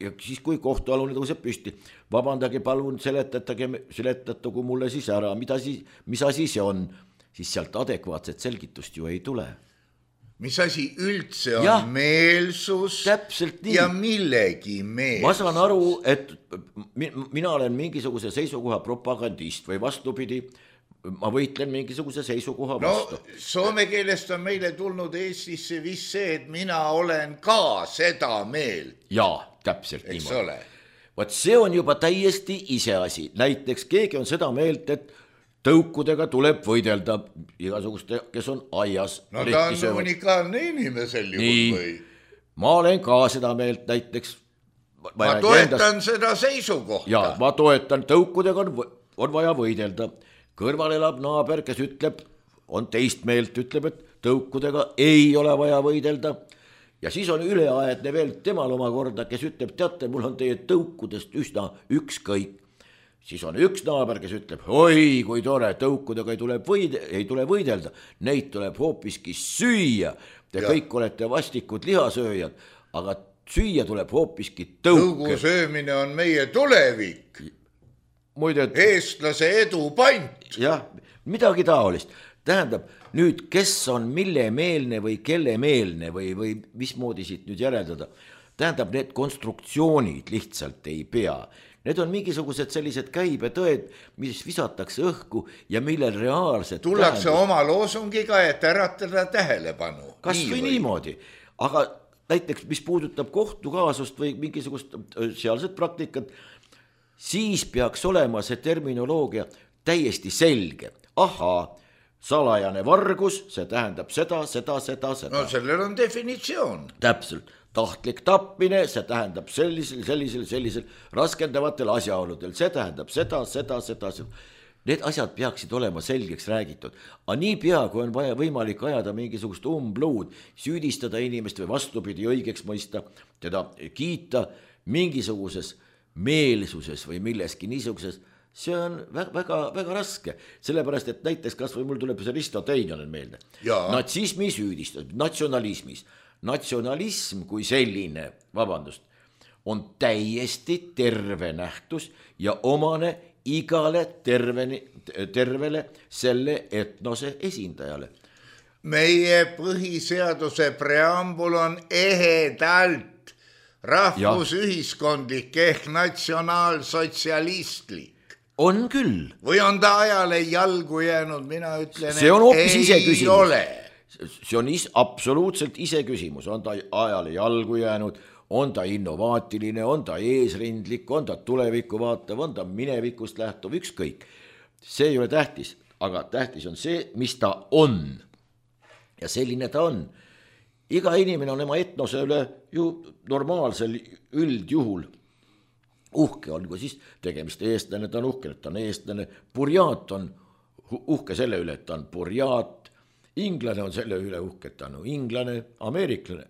[SPEAKER 2] ja siis kui kohtualune tõuseb püsti, vabandage, palun seletatagu mulle siis ära, mis asi see on, siis sealt adekvaatset selgitust ju ei tule.
[SPEAKER 3] Mis asi üldse on meelsus ja millegi meelsus?
[SPEAKER 2] Ma saan aru, et mina olen mingisuguse seisukoha propagandist või vastupidi, ma võitlen mingisuguse seisukoha vastu.
[SPEAKER 3] Soome keelest on meile tulnud Eestisse vist see, et mina olen ka seda meelt.
[SPEAKER 2] Jaa, täpselt niimoodi. Vaat see on juba täiesti iseasi. Näiteks keegi on seda meelt, et tõukudega tuleb võidelda igasuguste, kes on aias.
[SPEAKER 3] Ta on unikaalne inimesel juhul või?
[SPEAKER 2] Ma olen ka seda meelt näiteks.
[SPEAKER 3] Ma toetan seda seisukohta.
[SPEAKER 2] Ja, ma toetan, tõukudega on vaja võidelda. Kõrval elab naaber, kes ütleb, on teist meelt, ütleb, et tõukudega ei ole vaja võidelda. Ja siis on üleaedne veel temal omakorda, kes ütleb, teate, mul on teie tõukudest üsna ükskõik. Siis on üks naaber, kes ütleb, oi, kui tore, tõukudega ei tule võidelda, neid tuleb hoopiski süüa. Te kõik olete vastikud lihasööjad, aga süüa tuleb hoopiski tõuke.
[SPEAKER 3] Tõugu söömine on meie tulevik. Eestlase edu pant.
[SPEAKER 2] Jah, midagi taolist. Tähendab, nüüd kes on mille meelne või kelle meelne või mismoodi siit nüüd järeldada. Tähendab, need konstruktsioonid lihtsalt ei pea. Need on mingisugused sellised käibetõed, mis visatakse õhku ja millel reaalselt
[SPEAKER 3] tullakse oma loosungiga, et äratada tähelepanu.
[SPEAKER 2] Kas või niimoodi. Aga näiteks, mis puudutab kohtukaasust või mingisugust sealset praktikat, siis peaks olema see terminoloogia täiesti selge. Ahaa, salajane vargus, see tähendab seda.
[SPEAKER 3] No sellel on definitsioon.
[SPEAKER 2] Täpselt. Tahtlik tapmine, see tähendab sellisel raskendavatel asjaoludel, see tähendab seda. Need asjad peaksid olema selgeks räägitud. Aga nii pea, kui on vaja võimalik ajada mingisugust umbluud, süüdistada inimest või vastupidi õigeks mõista, teda kiita mingisuguses meelsuses või milleski niisuguses, see on väga, väga raske. Sellepärast, et näiteks kas või mul tuleb see Risto Teinjonen meelde. Natsismi süüdistus, natsionalismis. natsionalism kui selline, vabandust, on täiesti terve nähtus ja omane igale tervele selle etnose esindajale.
[SPEAKER 3] Meie põhiseaduse preambul on ehedalt rahvusühiskondlik ehk natsionaalsotsialistlik.
[SPEAKER 2] On küll.
[SPEAKER 3] Või on ta ajale jalgu jäänud, mina ütlen,
[SPEAKER 2] see on hoopis ise küsimus.
[SPEAKER 3] Ole.
[SPEAKER 2] See on absoluutselt ise küsimus, on ta ajale jalgu jäänud, on ta innovaatiline, on ta eesrindlik, on ta tulevikku vaatav, on ta minevikust lähtuv, ükskõik. See ei ole tähtis, aga tähtis on see, mis ta on. Ja selline ta on. Iga inimene on oma etnose üle ju normaalsel üldjuhul uhke, on kui siis tegemist eestlane, ta on uhke, et ta on eestlane, purjaat on uhke selle üle, et ta on purjaat, inglane on selle üle uhke, et ta on inglane, ameeriklane,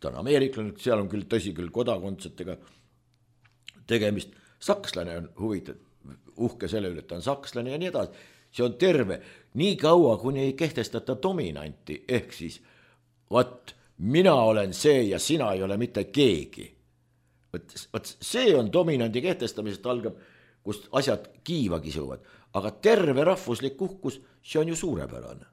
[SPEAKER 2] ta on ameeriklane, seal on küll tõsi küll kodakondsetega tegemist, sakslane on uhke selle üle, et ta on sakslane ja nii edasi. See on terve, nii kaua, kuni ei kehtestata dominanti, ehk siis, mina olen see ja sina ei ole mitte keegi. See on dominandi kehtestamisest algab, kust asjad kiiva kisuvad, aga terve rahvuslik uhkus, see on ju suurepärane.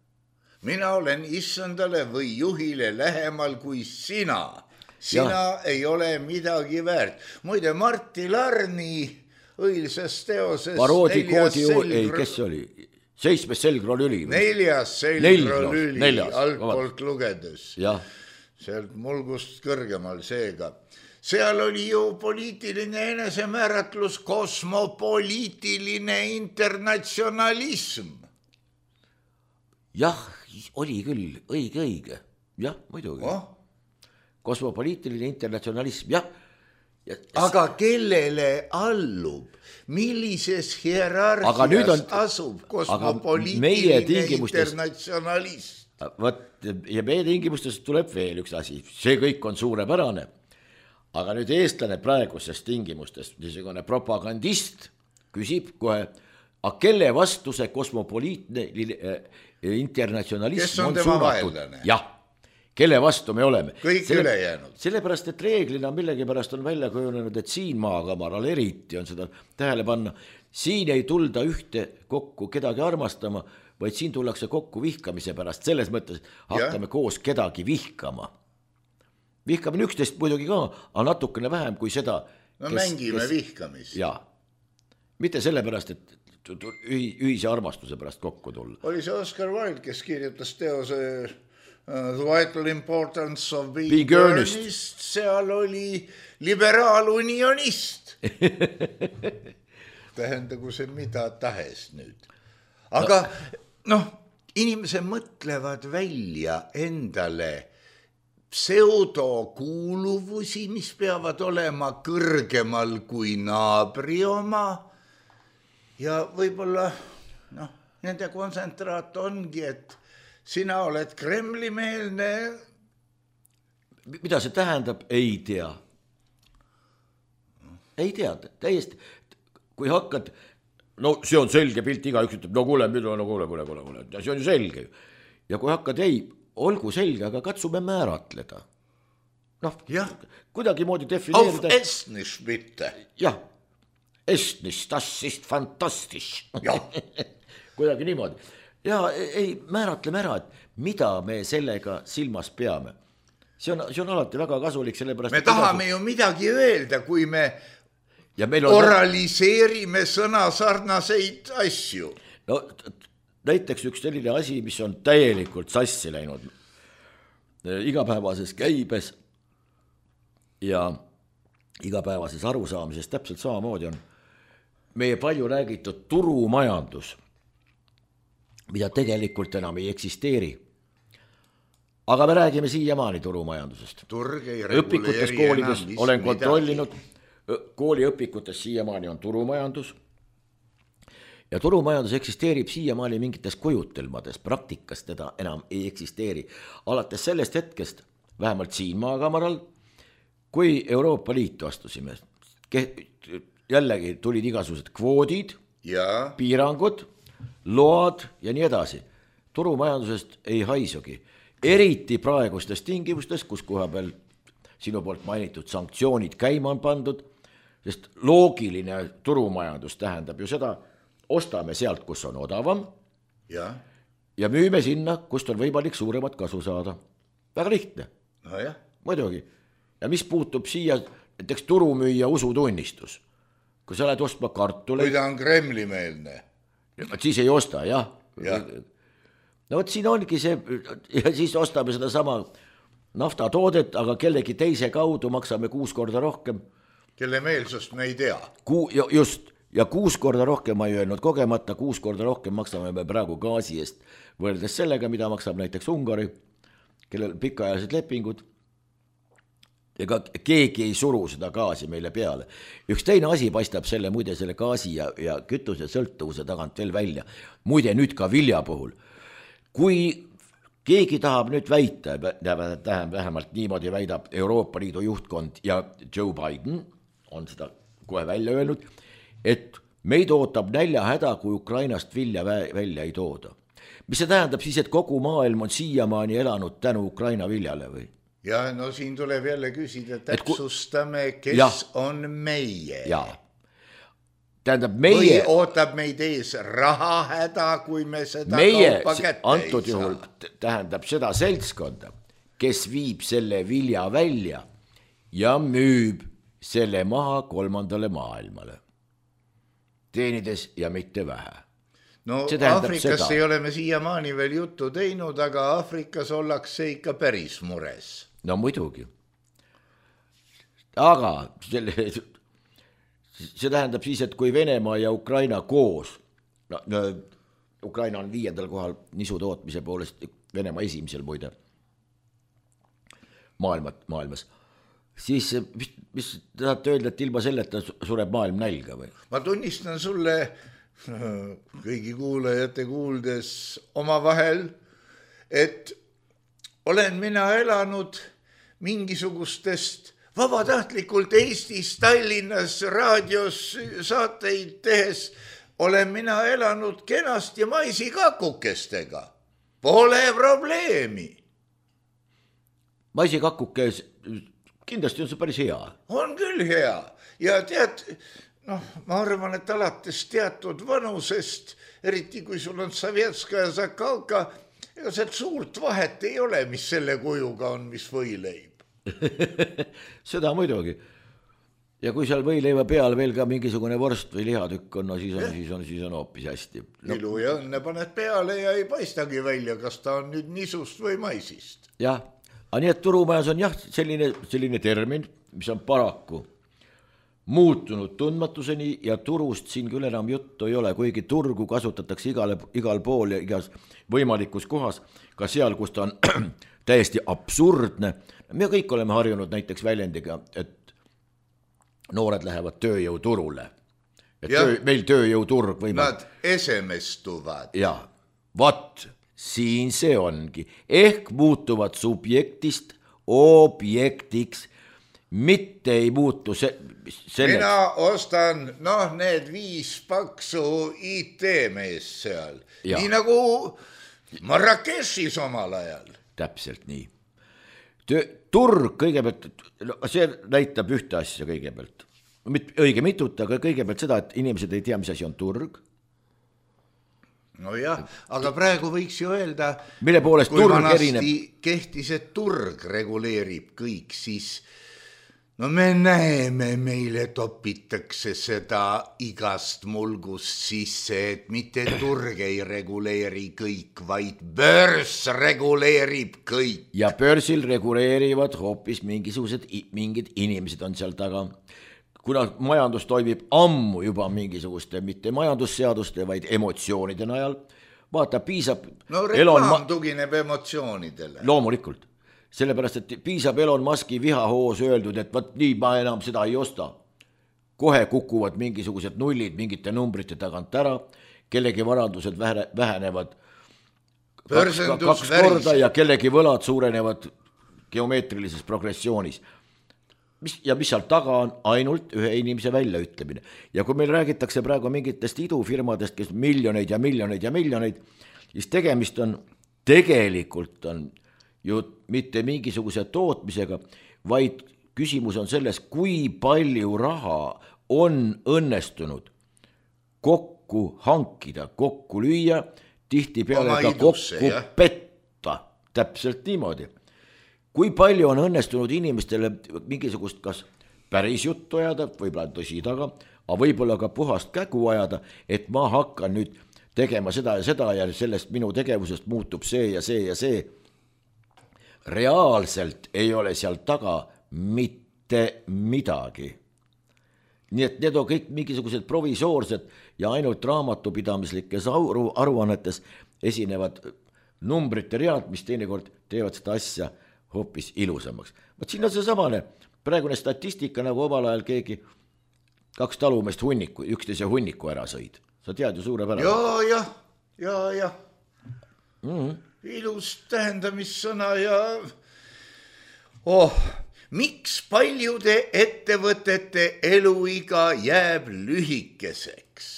[SPEAKER 3] Mina olen issandale või juhile lähemal kui sina. Sina ei ole midagi väärt. Muide, Martti Larni õilsas teoses
[SPEAKER 2] Paroodi koodi kes see oli? 7. selgrolüli.
[SPEAKER 3] 4. selgrolüli altpoolt lugedes. Sealt mulgust kõrgemal seega. Seal oli ju poliitiline enesemääratlus, kosmopoliitiline internatsionalism.
[SPEAKER 2] Jah, oli küll, õige. Jah, muidugi. Kosmopoliitiline internatsionalism, jah.
[SPEAKER 3] Aga kellele allub? Millises hierarhias asub kosmopoliitiline internatsionalist?
[SPEAKER 2] Ja meie tingimustes tuleb veel üks asi. See kõik on suurepärane. Aga nüüd eestlane praeguses tingimustes, niisugune propagandist küsib kohe, aga kelle vastu see kosmopoliitne internatsionalism
[SPEAKER 3] kes on tema vaenlane?
[SPEAKER 2] Jah, kelle vastu me oleme.
[SPEAKER 3] Kõik ülejäänud.
[SPEAKER 2] Sellepärast, et reeglina millegipärast on välja kujunenud, et siin maakamaral eriti on seda tähele panna. Siin ei tulda ühte kokku kedagi armastama, vaid siin tullakse kokku vihkamise pärast. Selles mõttes hakkame koos kedagi vihkama. Vihkamine üksteist muidugi ka, aga natukene vähem kui seda.
[SPEAKER 3] No mängime vihkamist.
[SPEAKER 2] Jaa, mitte sellepärast, et ühise armastuse pärast kokku tulla.
[SPEAKER 3] Oli see Oscar Wilde, kes kirjutas teose The Vital Importance of Being Earnest, seal oli liberaalunionist. Tähendagu see mida tahes nüüd. Aga inimesed mõtlevad välja endale pseudokuuluvusi, mis peavad olema kõrgemal kui naabri oma ja võib-olla nende kontsentraat ongi, et sina oled Kremli-meelne.
[SPEAKER 2] Mida see tähendab, ei tea. Ei tea, täiesti. Kui hakkad, see on selge pilt, igaüks ütleb, kuule, see on ju selge. Ja kui hakkad, olgu selge, aga katsume määratleda. Kuidagi moodi defineerida.
[SPEAKER 3] Auf Estnisch bitte.
[SPEAKER 2] Jah, Estnisch, das ist fantastisch. Kuidagi niimoodi. Ja määratleme ära, et mida me sellega silmas peame. See on alati väga kasulik, sellepärast.
[SPEAKER 3] Me tahame ju midagi öelda, kui me oraliseerime sõna sarnaseid asju.
[SPEAKER 2] Näiteks üks selline asi, mis on täielikult sassi läinud igapäevases käibes ja igapäevases arusaamises täpselt samamoodi on meie palju räägitud turumajandus, mida tegelikult enam ei eksisteeri. Aga me räägime siiamaani turumajandusest. Õpikutes koolides olen kontrollinud, kooliõpikutes siiamaani on turumajandus. Ja turumajandus eksisteerib siiamaani mingites kujutelmades, praktikas teda enam ei eksisteeri. Alates sellest hetkest, vähemalt siin maakamaral, kui Euroopa Liitu astusime, jällegi tulid igasugused kvoodid, piirangud, load ja nii edasi. Turumajandusest ei haisugi. eriti praegustes tingimustes, kus koha peal sinu poolt mainitud sanktsioonid käima on pandud, sest loogiline turumajandus tähendab ju seda, ostame sealt, kus on odavam ja müüme sinna, kust on võimalik suuremat kasu saada. Väga lihtne.
[SPEAKER 3] Nojah.
[SPEAKER 2] Muidugi. Ja mis puutub siia, näiteks turumüüja usutunnistus. Kui sa oled ostma kartuleid...
[SPEAKER 3] Kui ta on Kremli-meelne.
[SPEAKER 2] Siis ei osta, jah. No vot siin ongi see, ja siis ostame seda sama naftatoodet, aga kellegi teise kaudu maksame 6 korda rohkem.
[SPEAKER 3] Kelle meelsust me ei tea.
[SPEAKER 2] Just, ja 6 korda rohkem ma ei öelnud kogemata, 6 korda rohkem maksame me praegu gaasi eest, võrdes sellega, mida maksab näiteks Ungari, kellel pikaajalised lepingud. Ega keegi ei suru seda gaasi meile peale. Üks teine asi paistab selle muide selle gaasi ja kütuse sõltuvuse tagant veel välja. Muide nüüd ka vilja puhul. Kui keegi tahab nüüd väita, vähemalt niimoodi väidab Euroopa Liidu juhtkond ja Joe Biden on seda kohe välja öelnud, et meid ootab näljahäda, kui Ukrainast vilja välja ei tooda. Mis see tähendab siis, et kogu maailm on siiamaani elanud tänu Ukraina viljale või?
[SPEAKER 3] Ja no siin tuleb jälle küsida, täpsustame, kes on meie.
[SPEAKER 2] Jaa. Tähendab meie...
[SPEAKER 3] Või ootab meid ees rahahäda, kui me seda kaupa kätte
[SPEAKER 2] antud juhul tähendab seda seltskonda, kes viib selle vilja välja ja müüb selle maha 3. maailmale. Teenides ja mitte vähe.
[SPEAKER 3] No Aafrikas ei ole me siiamaani veel juttu teinud, aga Aafrikas ollakse ikka päris mures.
[SPEAKER 2] No muidugi. Aga see tähendab siis, et kui Venemaa ja Ukraina koos, Ukraina on 5. kohal nisu tootmise poolest, Venemaa 1. muide maailmas, siis mis tahate öelda, et ilma selleta sureb maailm nälga või?
[SPEAKER 3] Ma tunnistan sulle kõigi kuulajate kuuldes omavahel, et olen mina elanud mingisugustest vabatahtlikult Eestis, Tallinnas, raadios saateid tehes, olen mina elanud kenasti maisikakukestega. Pole probleemi.
[SPEAKER 2] Maisikakukes kindlasti on see päris hea.
[SPEAKER 3] On küll hea. Ja tead, ma arvan, et alates teatud vanusest, eriti kui sul on Sovetskaja Zakalka, ega sealt suurt vahet ei ole, mis selle kujuga on, mis võileib.
[SPEAKER 2] Seda muidugi. Ja kui seal võileiva peal veel ka mingisugune vorst või lihatükk on, siis on hoopis hästi.
[SPEAKER 3] Ilu ja õnne paned peale ja ei paistagi välja, kas ta on nüüd nisust või maisist.
[SPEAKER 2] Jah, aga nii et turumajas on selline termin, mis on paraku muutunud tundmatuseni ja turust siin küll enam juttu ei ole, kuigi turgu kasutatakse igal pool ja igas võimalikus kohas, ka seal, kus ta on täiesti absurdne. Me kõik oleme harjunud näiteks väljendiga, et noored lähevad tööjõuturule. Meil tööjõuturg
[SPEAKER 3] Nad esemestuvad.
[SPEAKER 2] Ja, vat, siin see ongi. Ehk muutuvad subjektist objektiks, mitte ei muutu selleks.
[SPEAKER 3] Mina ostan, need 5 paksu IT-mees seal. Ja. Nii nagu Marrakeshis omal ajal.
[SPEAKER 2] Täpselt nii. Turg kõigepealt, see näitab ühte asja kõigepealt. Õige mitut, aga kõigepealt seda, et inimesed ei tea, mis asi on turg.
[SPEAKER 3] No jah, aga praegu võiks ju öelda,
[SPEAKER 2] mille poolest
[SPEAKER 3] kui
[SPEAKER 2] turg
[SPEAKER 3] vanasti
[SPEAKER 2] erineb...
[SPEAKER 3] kehtis, et turg reguleerib kõik, siis me näeme, meile topitakse seda igast mulgust sisse, et mitte turg ei reguleeri kõik, vaid börs reguleerib kõik.
[SPEAKER 2] Ja börsil reguleerivad hoopis mingid inimesed on seal taga. Kuna majandus toimib ammu juba mingisuguste, mitte majandusseaduste, vaid emotsioonide najal, vaata, piisab...
[SPEAKER 3] reklaam tugineb emotsioonidele.
[SPEAKER 2] Loomulikult. Sellepärast, et piisab Elon Muski vihahoos öeldud, et võt nii ma enam seda ei osta. Kohe kukuvad mingisugused nullid mingite numbrite tagant ära, kellegi varandused vähenevad 2 korda ja kellegi võlad suurenevad geomeetrilises progressioonis. Ja mis seal taga on ainult ühe inimese väljaütlemine. Ja kui meil räägitakse praegu mingitest idufirmadest, kes miljoneid ja miljoneid ja miljoneid, siis tegelikult on ju mitte mingisuguse tootmisega, vaid küsimus on selles, kui palju raha on õnnestunud kokku hankida, kokku lüüa, tihtipeale ka kokku petta, täpselt niimoodi. Kui palju on õnnestunud inimestele mingisugust kas päris juttu ajada, võib-olla tõsi taga, aga võib-olla ka puhast kägu ajada, et ma hakkan nüüd tegema seda ja sellest minu tegevusest muutub see ja see ja see. Reaalselt ei ole seal taga mitte midagi. Nii et need on kõik mingisugused provisoorsed ja ainult raamatupidamislikes aruannetes esinevad numbrite read, mis teinekord teevad seda asja hoopis ilusamaks. Võt siin on see samane praegune statistika, nagu omal ajal keegi 2 talumeest üksteise hunniku ära sõid. Sa tead ju suurepärane.
[SPEAKER 3] Ja. Ilus tähendamissõna ja miks paljude ettevõtete eluiga jääb lühikeseks?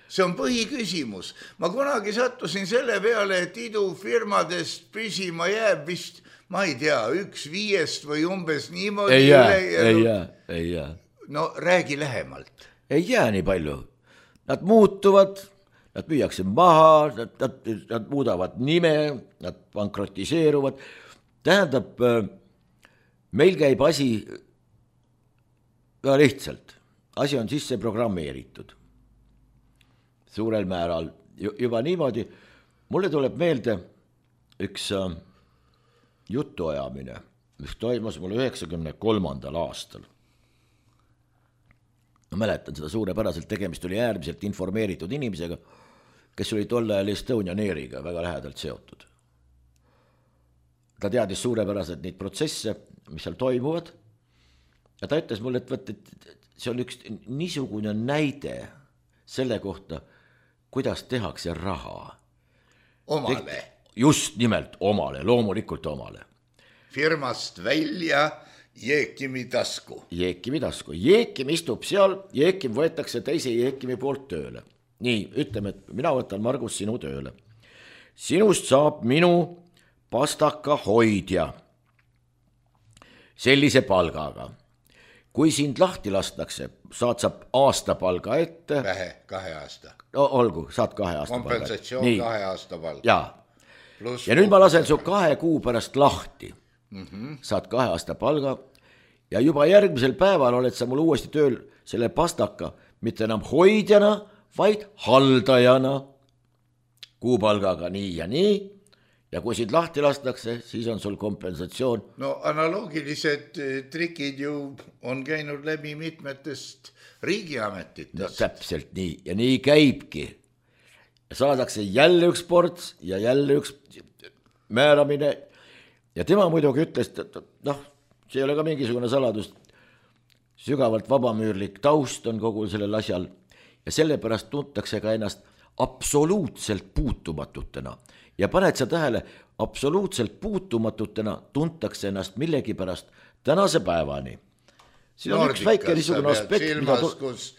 [SPEAKER 3] See on põhiküsimus. Ma kunagi sattusin selle peale, et idufirmadest püsima jääb vist, ma ei tea, 1/5 või umbes niimoodi.
[SPEAKER 2] Ei jää.
[SPEAKER 3] No räägi lähemalt.
[SPEAKER 2] Ei jää nii palju. Nad muutuvad, nad müüakse maha, nad muudavad nime, nad pankrotiseeruvad. Tähendab, meil käib asi väga lihtsalt. Asi on sisse programmeeritud. Suurel määral juba niimoodi. Mulle tuleb meelde üks jutuajamine, mis toimus mul 93. aastal. Ma mäletan seda suurepäraselt, tegemist oli äärmiselt informeeritud inimesega, kes oli tol ajal Estonian Airiga väga lähedalt seotud. Ta teadis suurepäraselt neid protsesse, mis seal toimuvad, ja ta ütles mulle, et see on üks niisugune näide selle kohta, kuidas tehakse raha.
[SPEAKER 3] Omale.
[SPEAKER 2] Just nimelt omale, loomulikult omale.
[SPEAKER 3] Firmast välja Jeekimi tasku.
[SPEAKER 2] Jeekim istub seal, Jeekim võetakse teise Jeekimi poolt tööle. Nii, ütleme, et mina võtan, Margus, sinu tööle. Sinust saab minu pastaka hoidja sellise palgaga. Kui sind lahti lastakse, saad aastapalga ette.
[SPEAKER 3] 2 aasta.
[SPEAKER 2] Olgu, saad 2 aasta palga.
[SPEAKER 3] Kompensatsioon 2 aasta palga.
[SPEAKER 2] Ja nüüd ma lasen su 2 kuu pärast lahti. Saad 2 aasta palga ja juba järgmisel päeval oled sa mul uuesti tööl selle pastaka, mitte enam hoidjana, vaid haldajana. Kuupalgaga nii ja nii. Ja kui sind lahti lastakse, siis on sul kompensatsioon.
[SPEAKER 3] No analoogilised trikid ju on käinud läbi mitmetest riigiametitest.
[SPEAKER 2] No täpselt nii ja nii käibki. Saadakse jälle üks ports ja jälle üks määramine. Ja tema muidugi ütles, et see ei ole ka mingisugune saladus. Sügavalt vabamüürlik taust on kogu sellel asjal ja sellepärast tuntakse ka ennast absoluutselt puutumatutena. Ja paned sa tähele, absoluutselt puutumatutena tuntakse ennast millegipärast tänase päevani. Siin on üks väike niisugune aspekt,
[SPEAKER 3] silmas, kus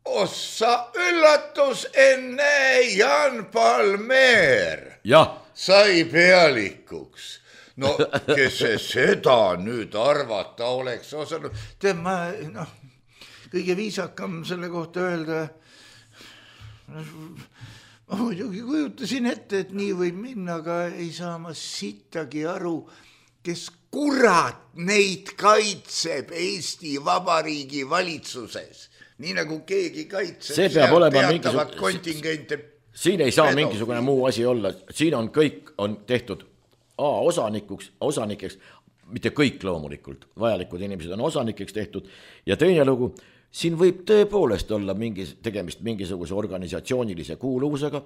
[SPEAKER 3] ossa üllatus, enne Jan Palmer sai pealikuks. No kes seda nüüd arvata oleks osanud. Ma kõige viisakam selle kohta öelda, ma muidugi kujutasin ette, et nii võib minna, aga ei saa ma sittagi aru, kes kurat neid kaitseb Eesti Vabariigi valitsuses. Nii nagu keegi kaitseb
[SPEAKER 2] see peab olema
[SPEAKER 3] teatavat kontingente.
[SPEAKER 2] Siin ei saa mingisugune muu asi olla. Siin on kõik on tehtud osanikeks, mitte kõik loomulikult, vajalikud inimesed on osanikeks tehtud ja teine lugu, siin võib tõepoolest olla tegemist mingisuguse organisatsioonilise kuuluvusega.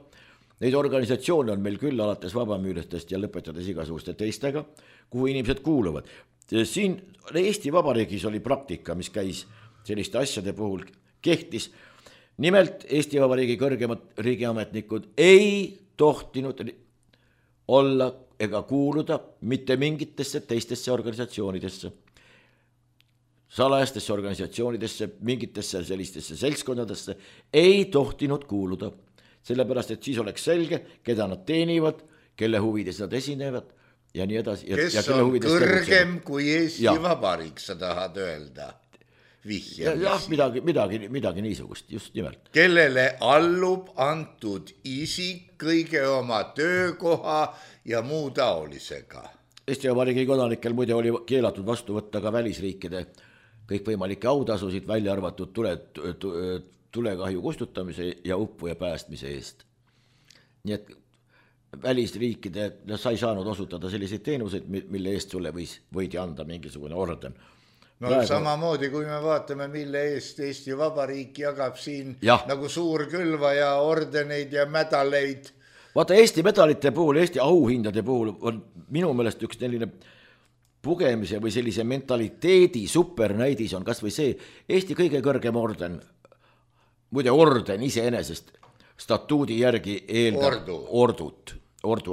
[SPEAKER 2] Neid organisatsioone on meil küll alates vabamüüristest ja lõpetades igasuguste teistega, kuhu inimesed kuuluvad. Siin Eesti Vabariigis oli praktika, mis käis selliste asjade puhul kehtis. Nimelt Eesti Vabariigi kõrgemad riigiametnikud ei tohtinud olla ega kuuluda mitte mingitesse teistesse organisatsioonidesse. Salajastesse organisatsioonidesse, mingitesse sellistesse seltskondadesse ei tohtinud kuuluda. Sellepärast, et siis oleks selge, keda nad teenivad, kelle huvides nad esinevad ja nii edasi.
[SPEAKER 3] Kes on kõrgem kui Eesti Vabariik, sa tahad öelda?
[SPEAKER 2] Jah, midagi niisugust, just nimelt.
[SPEAKER 3] Kellele allub antud isik kõige oma töökoha ja muu taolisega.
[SPEAKER 2] Eesti Vabariigi kodanikel muide oli keelatud vastu võtta ka välisriikide kõikvõimalikke autasusid, välja arvatud tulekahju kustutamise ja uppuja päästmise eest. Nii et välisriikide, sa ei saanud osutada selliseid teenuseid, mille eest sulle võidi anda mingisugune orden.
[SPEAKER 3] No samamoodi, kui me vaatame, mille eest Eesti Vabariik jagab siin nagu suurkülvaja ordeneid ja medaleid.
[SPEAKER 2] Vaata, Eesti medalite puhul, Eesti auhindade puhul on minu meelest üks selline pugemise või sellise mentaliteedi supernäidis on kas või see Eesti kõige kõrgem orden, muide orden iseenesest statuudi järgi eeldab ordu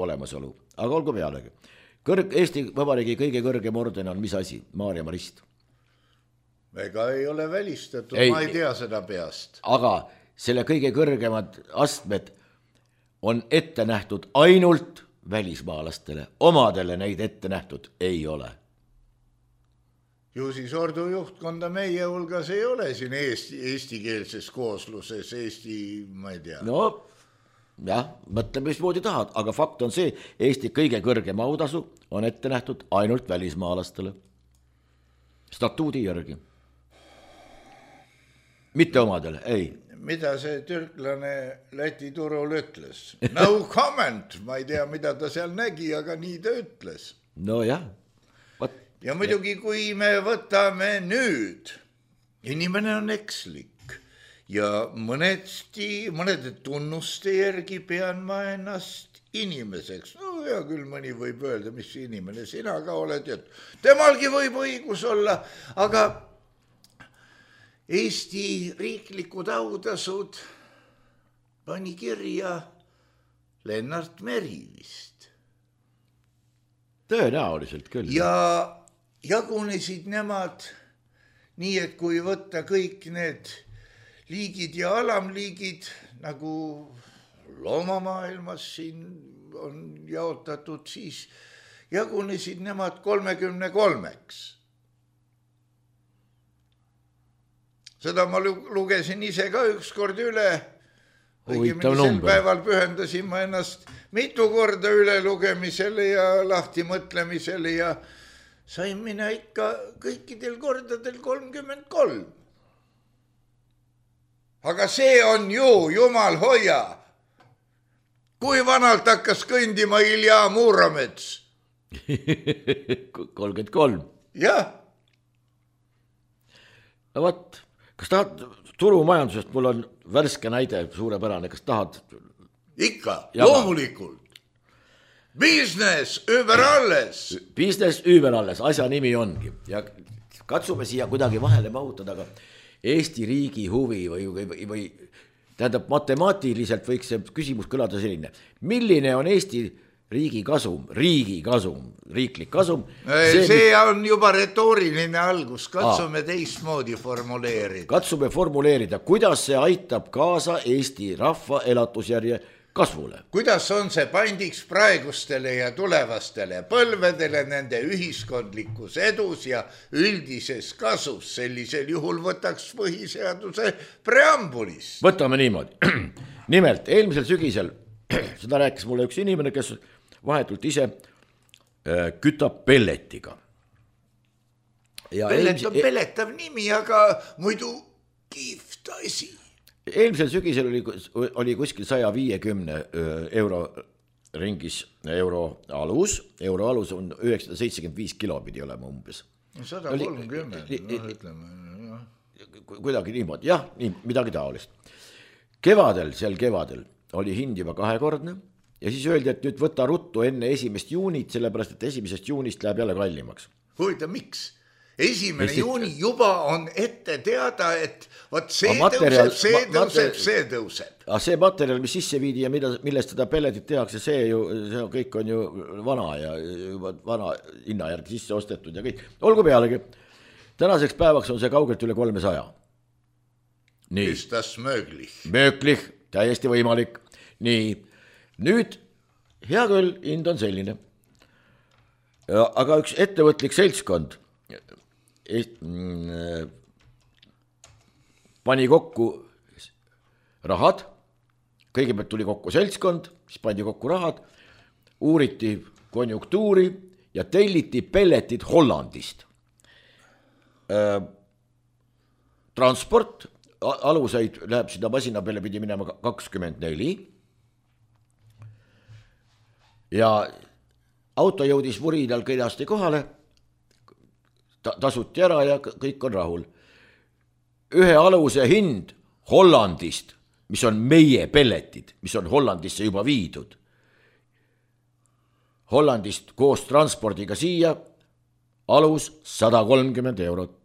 [SPEAKER 2] olemasolu, aga olgu pealegi. Eesti Vabariigi kõige kõrgem orden on mis asi? Maarja Marist.
[SPEAKER 3] Ega ei ole välistatud, ma ei tea seda peast.
[SPEAKER 2] Aga selle kõige kõrgemad astmed on ette nähtud ainult välismaalastele, omadele neid ette nähtud ei ole.
[SPEAKER 3] Ju siis ordu juhtkonda meie hulgas ei ole siin eestikeelses koosluses, ma ei tea.
[SPEAKER 2] No jah, mõtle, mismoodi tahad, aga fakt on see, Eesti kõige kõrgem autasu on ette nähtud ainult välismaalastele. Statuudi järgi. Mitte omadele, ei.
[SPEAKER 3] Mida see türklane Läti turul ütles? No comment, ma ei tea, mida ta seal nägi, aga nii ta ütles.
[SPEAKER 2] No jah.
[SPEAKER 3] Ja muidugi, kui me võtame nüüd, inimene on ekslik ja mõnede tunnuste järgi pean ma ennast inimeseks. No hea küll, mõni võib öelda, mis inimene sina ka oled, et temalgi võib õigus olla, aga Eesti riiklikud autasud pani kirja Lennart Meri vist.
[SPEAKER 2] Tõenäoliselt küll.
[SPEAKER 3] Ja jagunesid nemad nii, et kui võtta kõik need liigid ja alamliigid, nagu loomamaailmas siin on jaotatud, siis jagunesid nemad 33-ks. Seda ma lugesin ise ka ükskord üle. Õigemini sel päeval pühendasin ma ennast mitu korda üle lugemisele ja lahti mõtlemisele ja sain mina ikka kõikidel kordadel 33. Aga see on ju, jumal hoia. Kui vanalt hakkas kõndima Ilja Muuromets?
[SPEAKER 2] 33.
[SPEAKER 3] Jah.
[SPEAKER 2] No võt. Kas tahad turumajandusest, mul on värske näide, suurepärane, kas tahad?
[SPEAKER 3] Ikka, loomulikult. Business über alles.
[SPEAKER 2] Business über alles, asja nimi ongi. Ja katsume siia kuidagi vahele mahutada, aga Eesti riigi huvi või tähendab matemaatiliselt võiks see küsimus kõlada selline. Milline on Eesti riigi kasum, riiklik kasum?
[SPEAKER 3] See on juba retooriline algus, katsume teistmoodi formuleerida.
[SPEAKER 2] Katsume formuleerida, kuidas see aitab kaasa Eesti rahva elatusjärje kasvule.
[SPEAKER 3] Kuidas on see pandiks praegustele ja tulevastele põlvedele nende ühiskondlikus edus ja üldises kasus, sellisel juhul võtaks põhiseaduse preambulis.
[SPEAKER 2] Võtame niimoodi. Nimelt, eelmisel sügisel, seda rääkis mulle üks inimene, kes vahetult ise kütab pelletiga.
[SPEAKER 3] Pellet on pelletav nimi, aga muidu kihvt asi.
[SPEAKER 2] Eelmisel sügisel oli kuskil 150 euro ringis euro alus on 975 kilo pidi olema umbes.
[SPEAKER 3] 130, ütleme.
[SPEAKER 2] Kuidagi niimoodi, jah, midagi taolist. Sel kevadel oli hind juba 2-kordne ja siis öeldi, et nüüd võta ruttu enne 1. juunit, sellepärast, et 1. juunist läheb jälle kallimaks.
[SPEAKER 3] Huvitav, miks? 1. juuni juba on ette teada, et võt see tõuseb.
[SPEAKER 2] Aga see materjal, mis sisse viidi ja millest seda pelletit tehakse, see kõik on ju vana ja vana hinna järgi sisse ostetud ja kõik. Olgu pealegi, tänaseks päevaks on see kaugelt üle 300.
[SPEAKER 3] Ist das möglich?
[SPEAKER 2] Möglich, täiesti võimalik. Nii, nüüd hea küll, hind on selline. aga üks ettevõtlik seltskond pani kokku rahad, kõigepealt tuli kokku seltskond, siis pandi kokku rahad, uuriti konjunktuuri ja telliti pelletid Hollandist. Transport, aluseid läheb sinna masina peale, pidi minema 24 ja auto jõudis vurinal kenasti kohale, tasuti ära ja kõik on rahul. Ühe aluse hind Hollandist, mis on meie pelletid, mis on Hollandisse juba viidud. Hollandist koos transpordiga siia alus 130 eurot.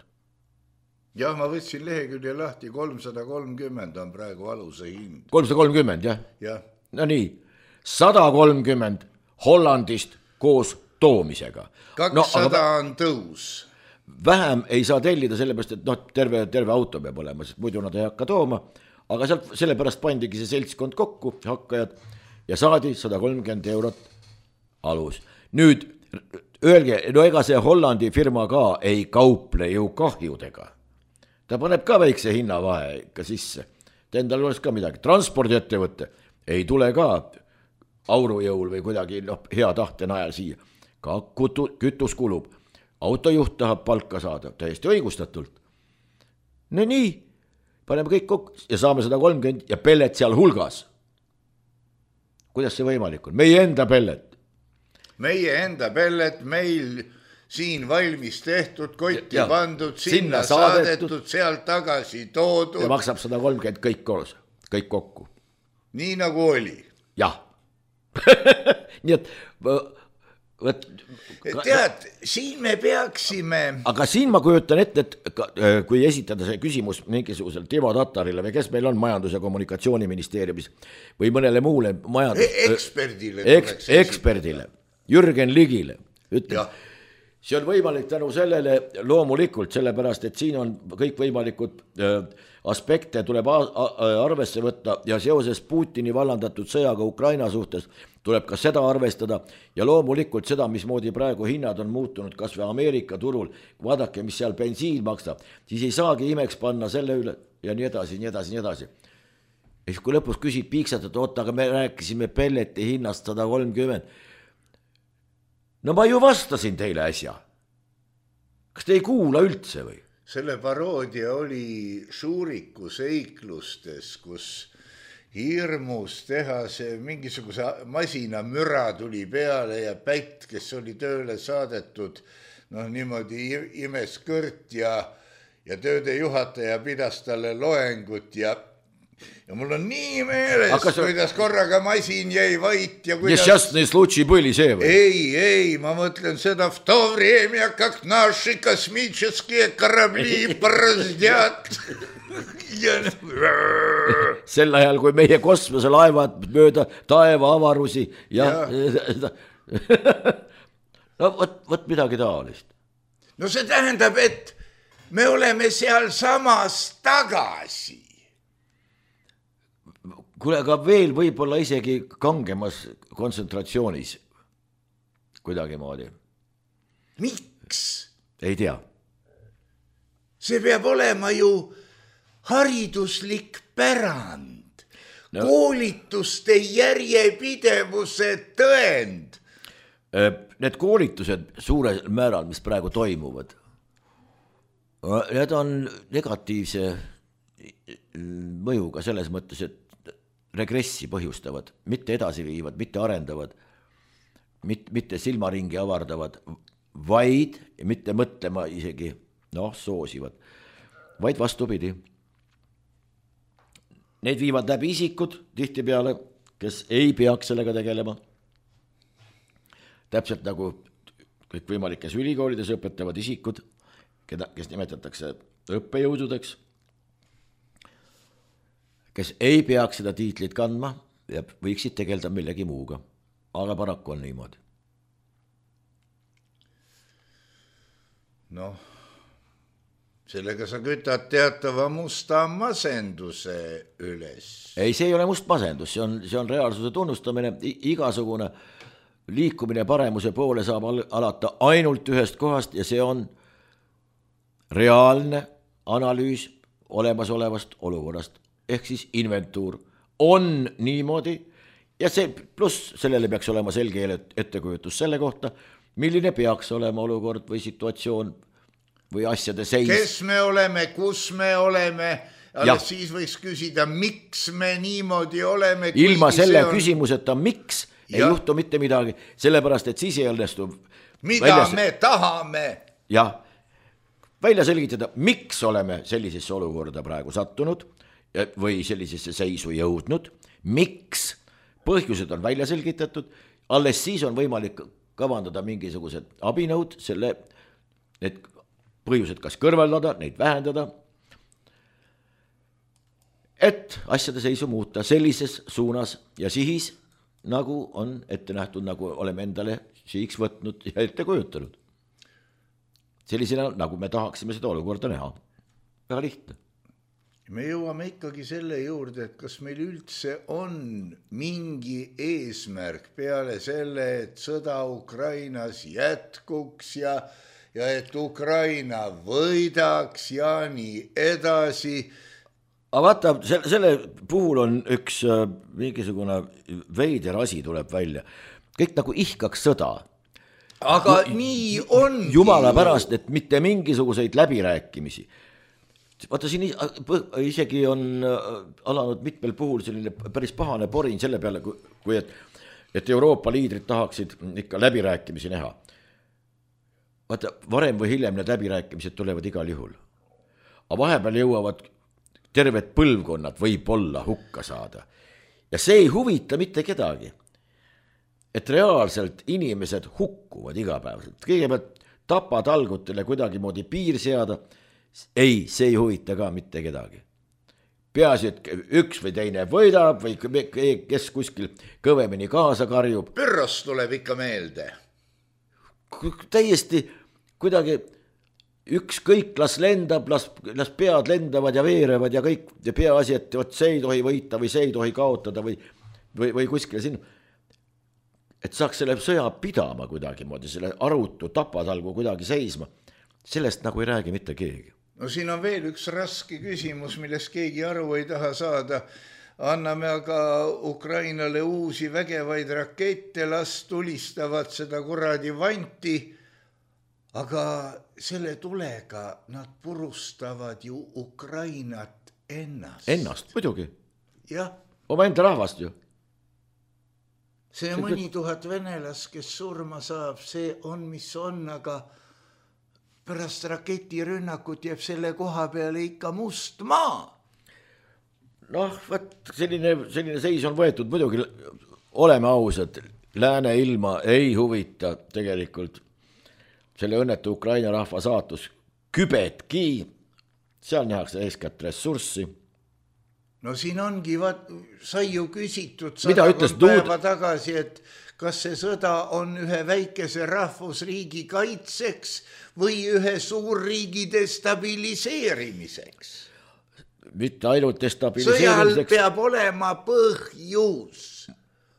[SPEAKER 3] Jah, ma võtsin lehekülje lahti, 330 on praegu aluse hind.
[SPEAKER 2] 330, jah?
[SPEAKER 3] Jah.
[SPEAKER 2] No nii, 130 Hollandist koos toomisega.
[SPEAKER 3] 200 on tõus.
[SPEAKER 2] Vähem ei saa tellida sellepärast, et terve auto peab olema, sest muidu nad ei hakka tooma, aga sellepärast pandigi see seltskond kokku, hakkajad, ja saadi 130 eurot alus. Nüüd öelge, no ega see Hollandi firma ka ei kauple ju kahjudega. Ta paneb ka väikse hinnavahe ikka sisse. Endal oleks ka midagi. Transpordiettevõte ei tule ka aurujõul või kuidagi hea tahte najal siia. Ka kütus kulub. Autojuht tahab palka saada, täiesti õigustatult. No nii, paneme kõik kokku ja saame 130 ja pellet seal hulgas. Kuidas see võimalik on? Meie enda pellet.
[SPEAKER 3] Meie enda pellet, meil siin valmis tehtud, kotti pandud, sinna saadetud, sealt tagasi toodud.
[SPEAKER 2] Ja maksab 130 kõik koos, kõik kokku.
[SPEAKER 3] Nii nagu oli.
[SPEAKER 2] Jah. Nii et
[SPEAKER 3] tead, siin me peaksime.
[SPEAKER 2] Aga siin ma kujutan ette, et kui esitada see küsimus mingisugusel Timo Tatarile või kes meil on Majandus- ja Kommunikatsiooniministeeriumis või mõnele muule eksperdile, Jürgen Ligile, ütleme, see on võimalik tänu sellele loomulikult, sellepärast, et siin on kõik võimalikud aspekte tuleb arvesse võtta ja seoses Putini vallandatud sõjaga Ukraina suhtes tuleb ka seda arvestada ja loomulikult seda, mismoodi praegu hinnad on muutunud kas või Ameerika turul, vaadake, mis seal bensiin maksab, siis ei saagi imeks panna selle üle ja nii edasi, nii edasi, nii edasi. Ja siis kui lõpus küsid piiksad, et oota, aga me rääkisime pelleti hinnast 130. No ma ju vastasin teile äsja. Kas te ei kuula üldse või?
[SPEAKER 3] Selle paroodia oli Šuriku seiklustes, kus hirmus teha see mingisuguse masina müra tuli peale ja Pätt, kes oli tööle saadetud, niimoodi imes kõrt ja tööde juhataja pidas talle loengut ja mul on nii meeles, kuidas korraga masin jäi vait ja kuidas...
[SPEAKER 2] Nešťastný случай были see või?
[SPEAKER 3] Ei, ma mõtlen seda в то время, как наши космические корабли бороздят.
[SPEAKER 2] Sel ajal, kui meie kosmoselaevad mööda taeva avarusi ja... No võt midagi taolist.
[SPEAKER 3] No see tähendab, et me oleme seal samas tagasi.
[SPEAKER 2] Kuule, aga veel võib-olla isegi kangemas kontsentratsioonis kuidagi moodi.
[SPEAKER 3] Miks?
[SPEAKER 2] Ei tea.
[SPEAKER 3] See peab olema ju hariduslik pärand, koolituste järjepidevuse tõend.
[SPEAKER 2] Need koolitused suurel määral, mis praegu toimuvad, need on negatiivse mõjuga selles mõttes, et regressi põhjustavad, mitte edasi viivad, mitte arendavad, mitte silmaringi avardavad, vaid mitte mõtlema isegi, soosivad, vaid vastupidi. Need viivad läbi isikud tihtipeale, kes ei peaks sellega tegelema. Täpselt nagu kõik võimalikes ülikoolides õpetavad isikud, kes nimetatakse õppejõududeks, kes ei peaks seda tiitlit kandma ja võiksid tegelda millegi muuga. Aga paraku on niimoodi.
[SPEAKER 3] Sellega sa kütad teatava musta masenduse üles.
[SPEAKER 2] Ei, see ei ole must masendus, see on reaalsuse tunnustamine, igasugune liikumine paremuse poole saab alata ainult ühest kohast ja see on reaalne analüüs olemasolevast olukorrast, ehk siis inventuur. On niimoodi ja see pluss sellele peaks olema selge ettekujutus selle kohta, milline peaks olema olukord või situatsioon või asjade seis.
[SPEAKER 3] Kes me oleme, kus me oleme, alles siis võiks küsida, miks me niimoodi oleme.
[SPEAKER 2] Ilma selle küsimuseta, miks ei juhtu mitte midagi, sellepärast, et siis ei õnnestu
[SPEAKER 3] me tahame.
[SPEAKER 2] Jah, välja selgitada, miks oleme sellisesse olukorda praegu sattunud või sellisesse seisu jõudnud, miks põhjused on välja selgitatud, alles siis on võimalik kavandada mingisugused abinõud, need põhjused kas kõrvaldada, neid vähendada, et asjade seisu muuta sellises suunas ja sihis, nagu on ette nähtud, nagu oleme endale sihiks võtnud ja ette kujutanud. Sellisena, nagu me tahaksime seda olukorda näha. Väga lihtne.
[SPEAKER 3] Me jõuame ikkagi selle juurde, et kas meil üldse on mingi eesmärk peale selle, et sõda Ukrainas jätkuks ja et Ukraina võidaks ja nii edasi.
[SPEAKER 2] Aga vaata, selle puhul on üks mingisugune veider asi tuleb välja. Kõik nagu ihkaks sõda.
[SPEAKER 3] Aga nii ongi.
[SPEAKER 2] Jumala pärast, et mitte mingisuguseid läbirääkimisi. Vaata, siin isegi on alanud mitmel puhul selline päris pahane porin selle peale, kui et Euroopa liidrid tahaksid ikka läbirääkimisi näha. Vaata, varem või hiljem need läbirääkimised tulevad igal juhul. Aga vahepeal jõuavad terved põlvkonnad võib-olla hukka saada. Ja see ei huvita mitte kedagi. Et reaalselt inimesed hukkuvad igapäevaselt. Kõigepealt tapatalgutele kuidagi moodi piir seada. Ei, see ei huvita ka mitte kedagi. Peaasi, et üks või teine võidab või kes kuskil kõvemini kaasa karjub.
[SPEAKER 3] Pyrrhos tuleb ikka meelde.
[SPEAKER 2] Täiesti kuidagi ükskõik las lendab, las pead lendavad ja veerevad ja kõik ja peaasi, et see ei tohi võita või see ei tohi kaotada või kuskile sinna. Et saaks selle sõja pidama kuidagi moodi, selle arutu tapatalgu kuidagi seisma. Sellest nagu ei räägi mitte keegi.
[SPEAKER 3] No siin on veel üks raske küsimus, millest keegi aru ei taha saada. Anname aga Ukrainale uusi vägevaid rakette, las tulistavad seda kuradi vanti, aga selle tulega nad purustavad ju Ukrainat ennast.
[SPEAKER 2] Ennast, muidugi.
[SPEAKER 3] Jah.
[SPEAKER 2] Oma enda rahvast ju.
[SPEAKER 3] See mõni tuhat venelast, kes surma saab, see on, mis on, aga pärast raketirünnakut jääb selle koha peale ikka must maa.
[SPEAKER 2] Noh, selline seis on võetud, muidugi oleme ausad, lääne ilma ei huvita tegelikult selle õnnetu Ukraina rahva saatus kübetki, seal nähakse eeskätt ressurssi.
[SPEAKER 3] No siin ongi, sai ju küsitud päeva tagasi, et kas see sõda on ühe väikese rahvusriigi kaitseks või ühe suurriigi destabiliseerimiseks.
[SPEAKER 2] Mitte ainult destabiliseerimiseks.
[SPEAKER 3] Sõjal peab olema põhjus.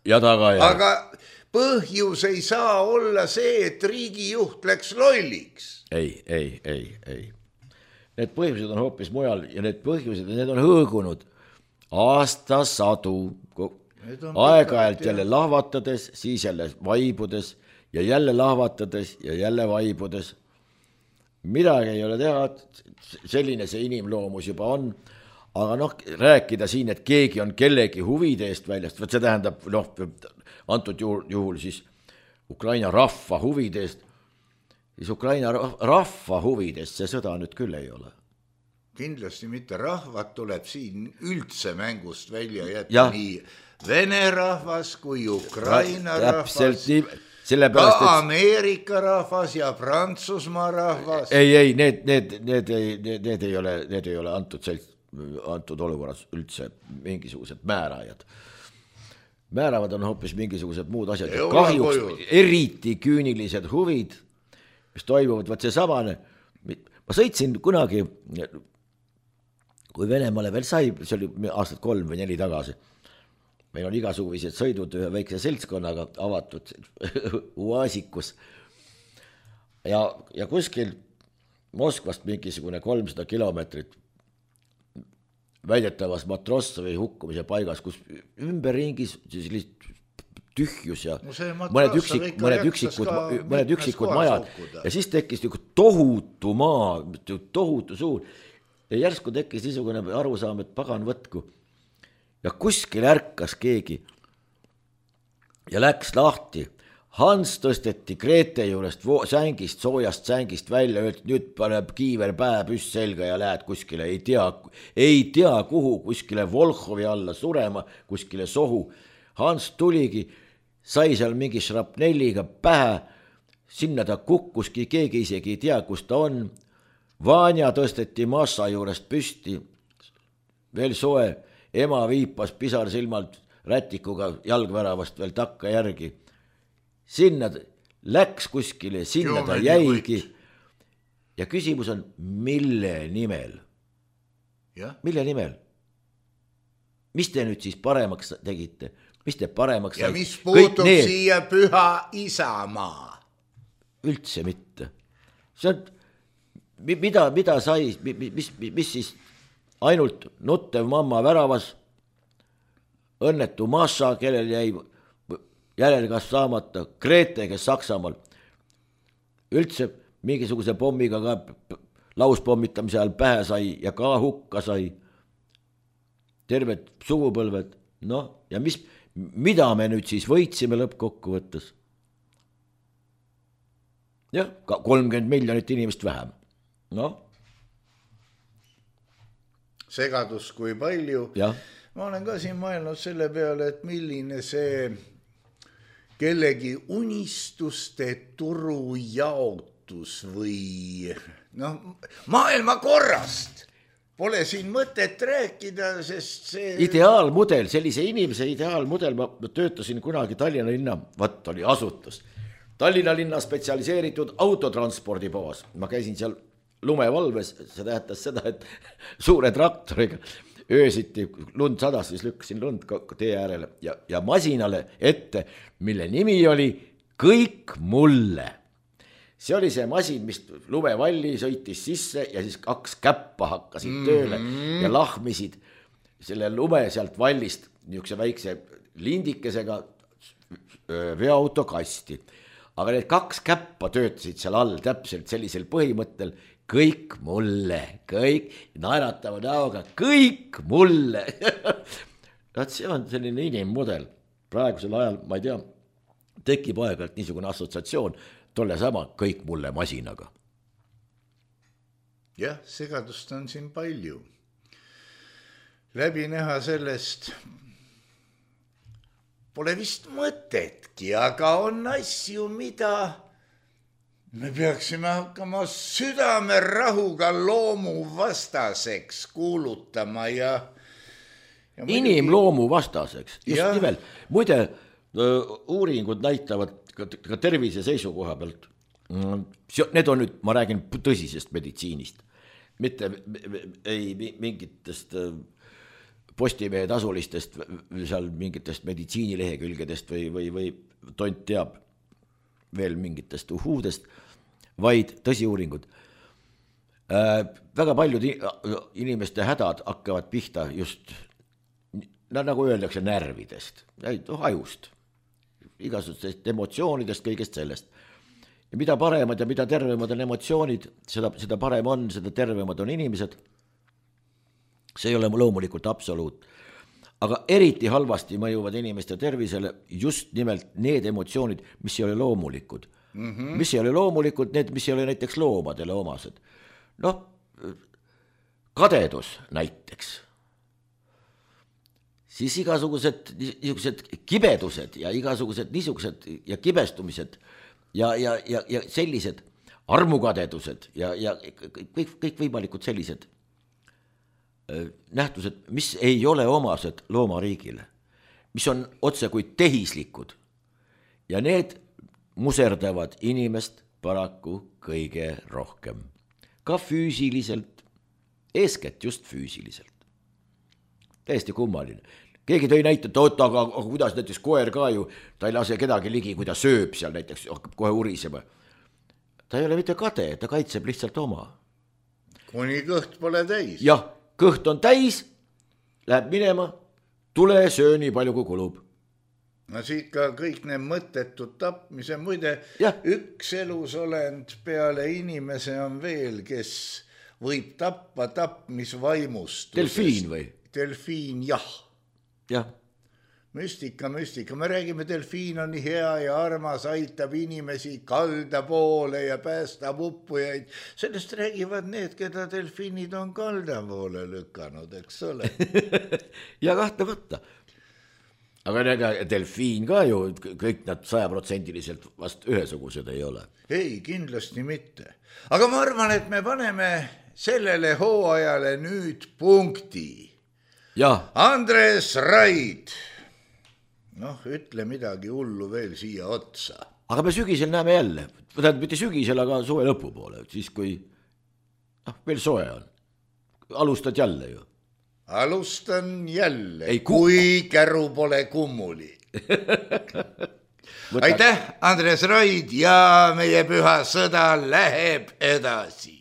[SPEAKER 2] Ja tagajärg.
[SPEAKER 3] Aga põhjus ei saa olla see, et riigijuht läks lolliks.
[SPEAKER 2] Ei. Need põhjused on hoopis mujal ja need põhjused, need on hõõgunud aastasadu, aeg-ajalt jälle lahvatades, siis jälle vaibudes ja jälle lahvatades ja jälle vaibudes. Midagi ei ole teha, selline see inimloomus juba on, aga rääkida siin, et keegi on kellegi huvide eest väljast, see tähendab, antud juhul siis Ukraina rahva huvide eest, siis Ukraina rahva huvidest see sõda nüüd küll ei ole.
[SPEAKER 3] Kindlasti mitte, rahvad tuleb siin üldse mängust välja jätta nii Vene rahvas kui Ukraina rahvas, ka Ameerika rahvas ja Prantsusmaa rahvas.
[SPEAKER 2] Ei, need ei ole antud olukorras üldse mingisugused määrajad. Määravad on hoopis mingisugused muud asjad. Kahjuks eriti küünilised huvid, mis toimuvad, see samane. Ma sõitsin kunagi, kui Venemaale veel sai, see oli aastad 3 või 4 tagasi, meil on igasuguseid sõidud ühe väikse seltskonnaga avatud Uasikus ja kuskil Moskvast mingisugune 300 kilomeetrit väidetavas Matrossovi hukkumise paigas, kus ümberringis tühjus ja mõned üksikud majad ja siis tekkis tohutu maa, tohutu suur ja järsku tekkis niisugune arusaam, et pagan võtku ja kuskil ärkas keegi ja läks lahti. Hans tõsteti Grete juurest sängist, soojast sängist välja, öeldi, nüüd paneb kiiver pääpüss selga ja lähed kuskile, ei tea kuhu, kuskile Volhovi alla surema, kuskile sohu. Hans tuligi, sai seal mingi šrapnelliga pähe, sinna ta kukkuski, keegi isegi ei tea, kus ta on. Vanja tõsteti massa juurest püsti, veel soe, ema viipas pisar silmalt rätikuga jalgväravast veel takka järgi. Sinna läks kuskile, sinna ta jäigi. Ja küsimus on, mille nimel? Mille nimel? Mis te nüüd siis paremaks tegite? Mis te paremaks
[SPEAKER 3] ja mis puutub siia püha isamaa?
[SPEAKER 2] Üldse mitte. See on, mida sai, mis siis ainult nuttev mamma väravas, õnnetu Maša, kellel jäi järelkasv saamata, Grete, kes Saksamaal üldse mingisuguse pommiga ka lauspomitamise ajal pähe sai ja ka hukka sai. Terved sugupõlved. No ja mida me nüüd siis võitsime lõppkokkuvõttes? Jah, 30 miljonit inimest vähem. No.
[SPEAKER 3] Segadus kui palju.
[SPEAKER 2] Ja.
[SPEAKER 3] Ma olen ka siin mõelnud selle peale, et milline see kellegi unistuste turujaotus või maailma korrast pole siin mõtet rääkida, sest see
[SPEAKER 2] ideaalmudel, sellise inimese ideaalmudel, ma töötasin kunagi Tallinna linna, oli asutus. Tallinna linna spetsialiseeritud autotranspordipoos. Ma käisin seal lumevalves, see tähendas seda, et suure traktoriga öösiti lund sadas, siis lükkasin lund tee äärele ja masinale ette, mille nimi oli Kõik mulle. See oli see masin, mis lumevalli sõitis sisse ja siis 2 käppa hakkasid tööle ja lahmisid selle lume sealt vallist niisuguse väikse lindikesega veoautokasti. Aga need 2 käppa töötasid seal all täpselt sellisel põhimõttel, kõik mulle, kõik naeratava näoga, kõik mulle. See on selline inimmudel. Praegusel ajal, ma ei tea, tekib aeg-ajalt niisugune assotsiatsioon tolle sama kõik mulle masinaga.
[SPEAKER 3] Jah, segadust on siin palju. Läbi näha sellest pole vist mõtetki, aga on asju, mida me peaksime hakkama südamerahuga loomu vastaseks kuulutama ja
[SPEAKER 2] inimloomu vastaseks, just nimelt. Muide, uuringud näitavad ka tervise seisukoha pealt. Need on nüüd, ma räägin tõsisest meditsiinist, mitte ei mingitest Postimehe tasulistest, seal mingitest meditsiinilehekülgedest või tont teab veel mingitest uhuudest, vaid tõsiuuringud. Väga paljud inimeste hädad hakkavad pihta just, nagu öeldakse, närvidest, ajust, igasugustest emotsioonidest, kõigest sellest. Ja mida paremad ja mida tervemad on emotsioonid, seda parem on, seda tervemad on inimesed. See ei ole loomulikult absoluut. Aga eriti halvasti mõjuvad inimeste tervisele just nimelt need emotsioonid, mis ei ole loomulikud. Mis ei ole loomulikud, need, mis ei ole näiteks loomadele omased. Kadedus näiteks. Siis igasugused niisugused kibedused ja igasugused niisugused ja kibestumised ja sellised armukadedused ja kõik võimalikud sellised nähtused, mis ei ole omased loomariigile, mis on otse kui tehislikud ja need muserdavad inimest paraku kõige rohkem. Ka füüsiliselt, eeskätt just füüsiliselt. Täiesti kummaline. keegi tõi näite, et oota, aga kuidas näiteks koer ka ju, ta ei lase kedagi ligi, kui ta sööb seal näiteks, hakkab kohe urisema. Ta ei ole mitte kade, ta kaitseb lihtsalt oma.
[SPEAKER 3] Kuni kõht pole täis.
[SPEAKER 2] Jah, kõht on täis, läheb minema, tule söö nii palju kui kulub.
[SPEAKER 3] No siit ka kõik need mõttetud tapmise, muide üks elusolend peale inimese on veel, kes võib tappa tapmisvaimust.
[SPEAKER 2] Delfiin või?
[SPEAKER 3] Delfiin, jah.
[SPEAKER 2] Jah.
[SPEAKER 3] Müstika, me räägime, delfiin on nii hea ja armas, aitab inimesi kalda poole ja päästab uppujaid. Sellest räägivad need, keda delfiinid on kalda poole lükanud, eks ole.
[SPEAKER 2] Ja kahtlemata. Aga delfiin ka ju, kõik nad 100% vast ühesugused ei ole.
[SPEAKER 3] Ei, kindlasti mitte. Aga ma arvan, et me paneme sellele hooajale nüüd punkti.
[SPEAKER 2] Ja.
[SPEAKER 3] Andres Raid, ütle midagi hullu veel siia otsa.
[SPEAKER 2] Aga me sügisel näeme jälle, mitte sügisel, aga suve lõpu poole, siis kui veel soe on. Alustad jälle ju.
[SPEAKER 3] Alustan jälle, kui käru pole kummuli. Aitäh, Andres Raid, ja meie püha sõda läheb edasi.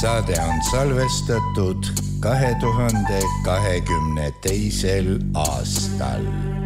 [SPEAKER 3] saade on salvestatud 2022. aastal.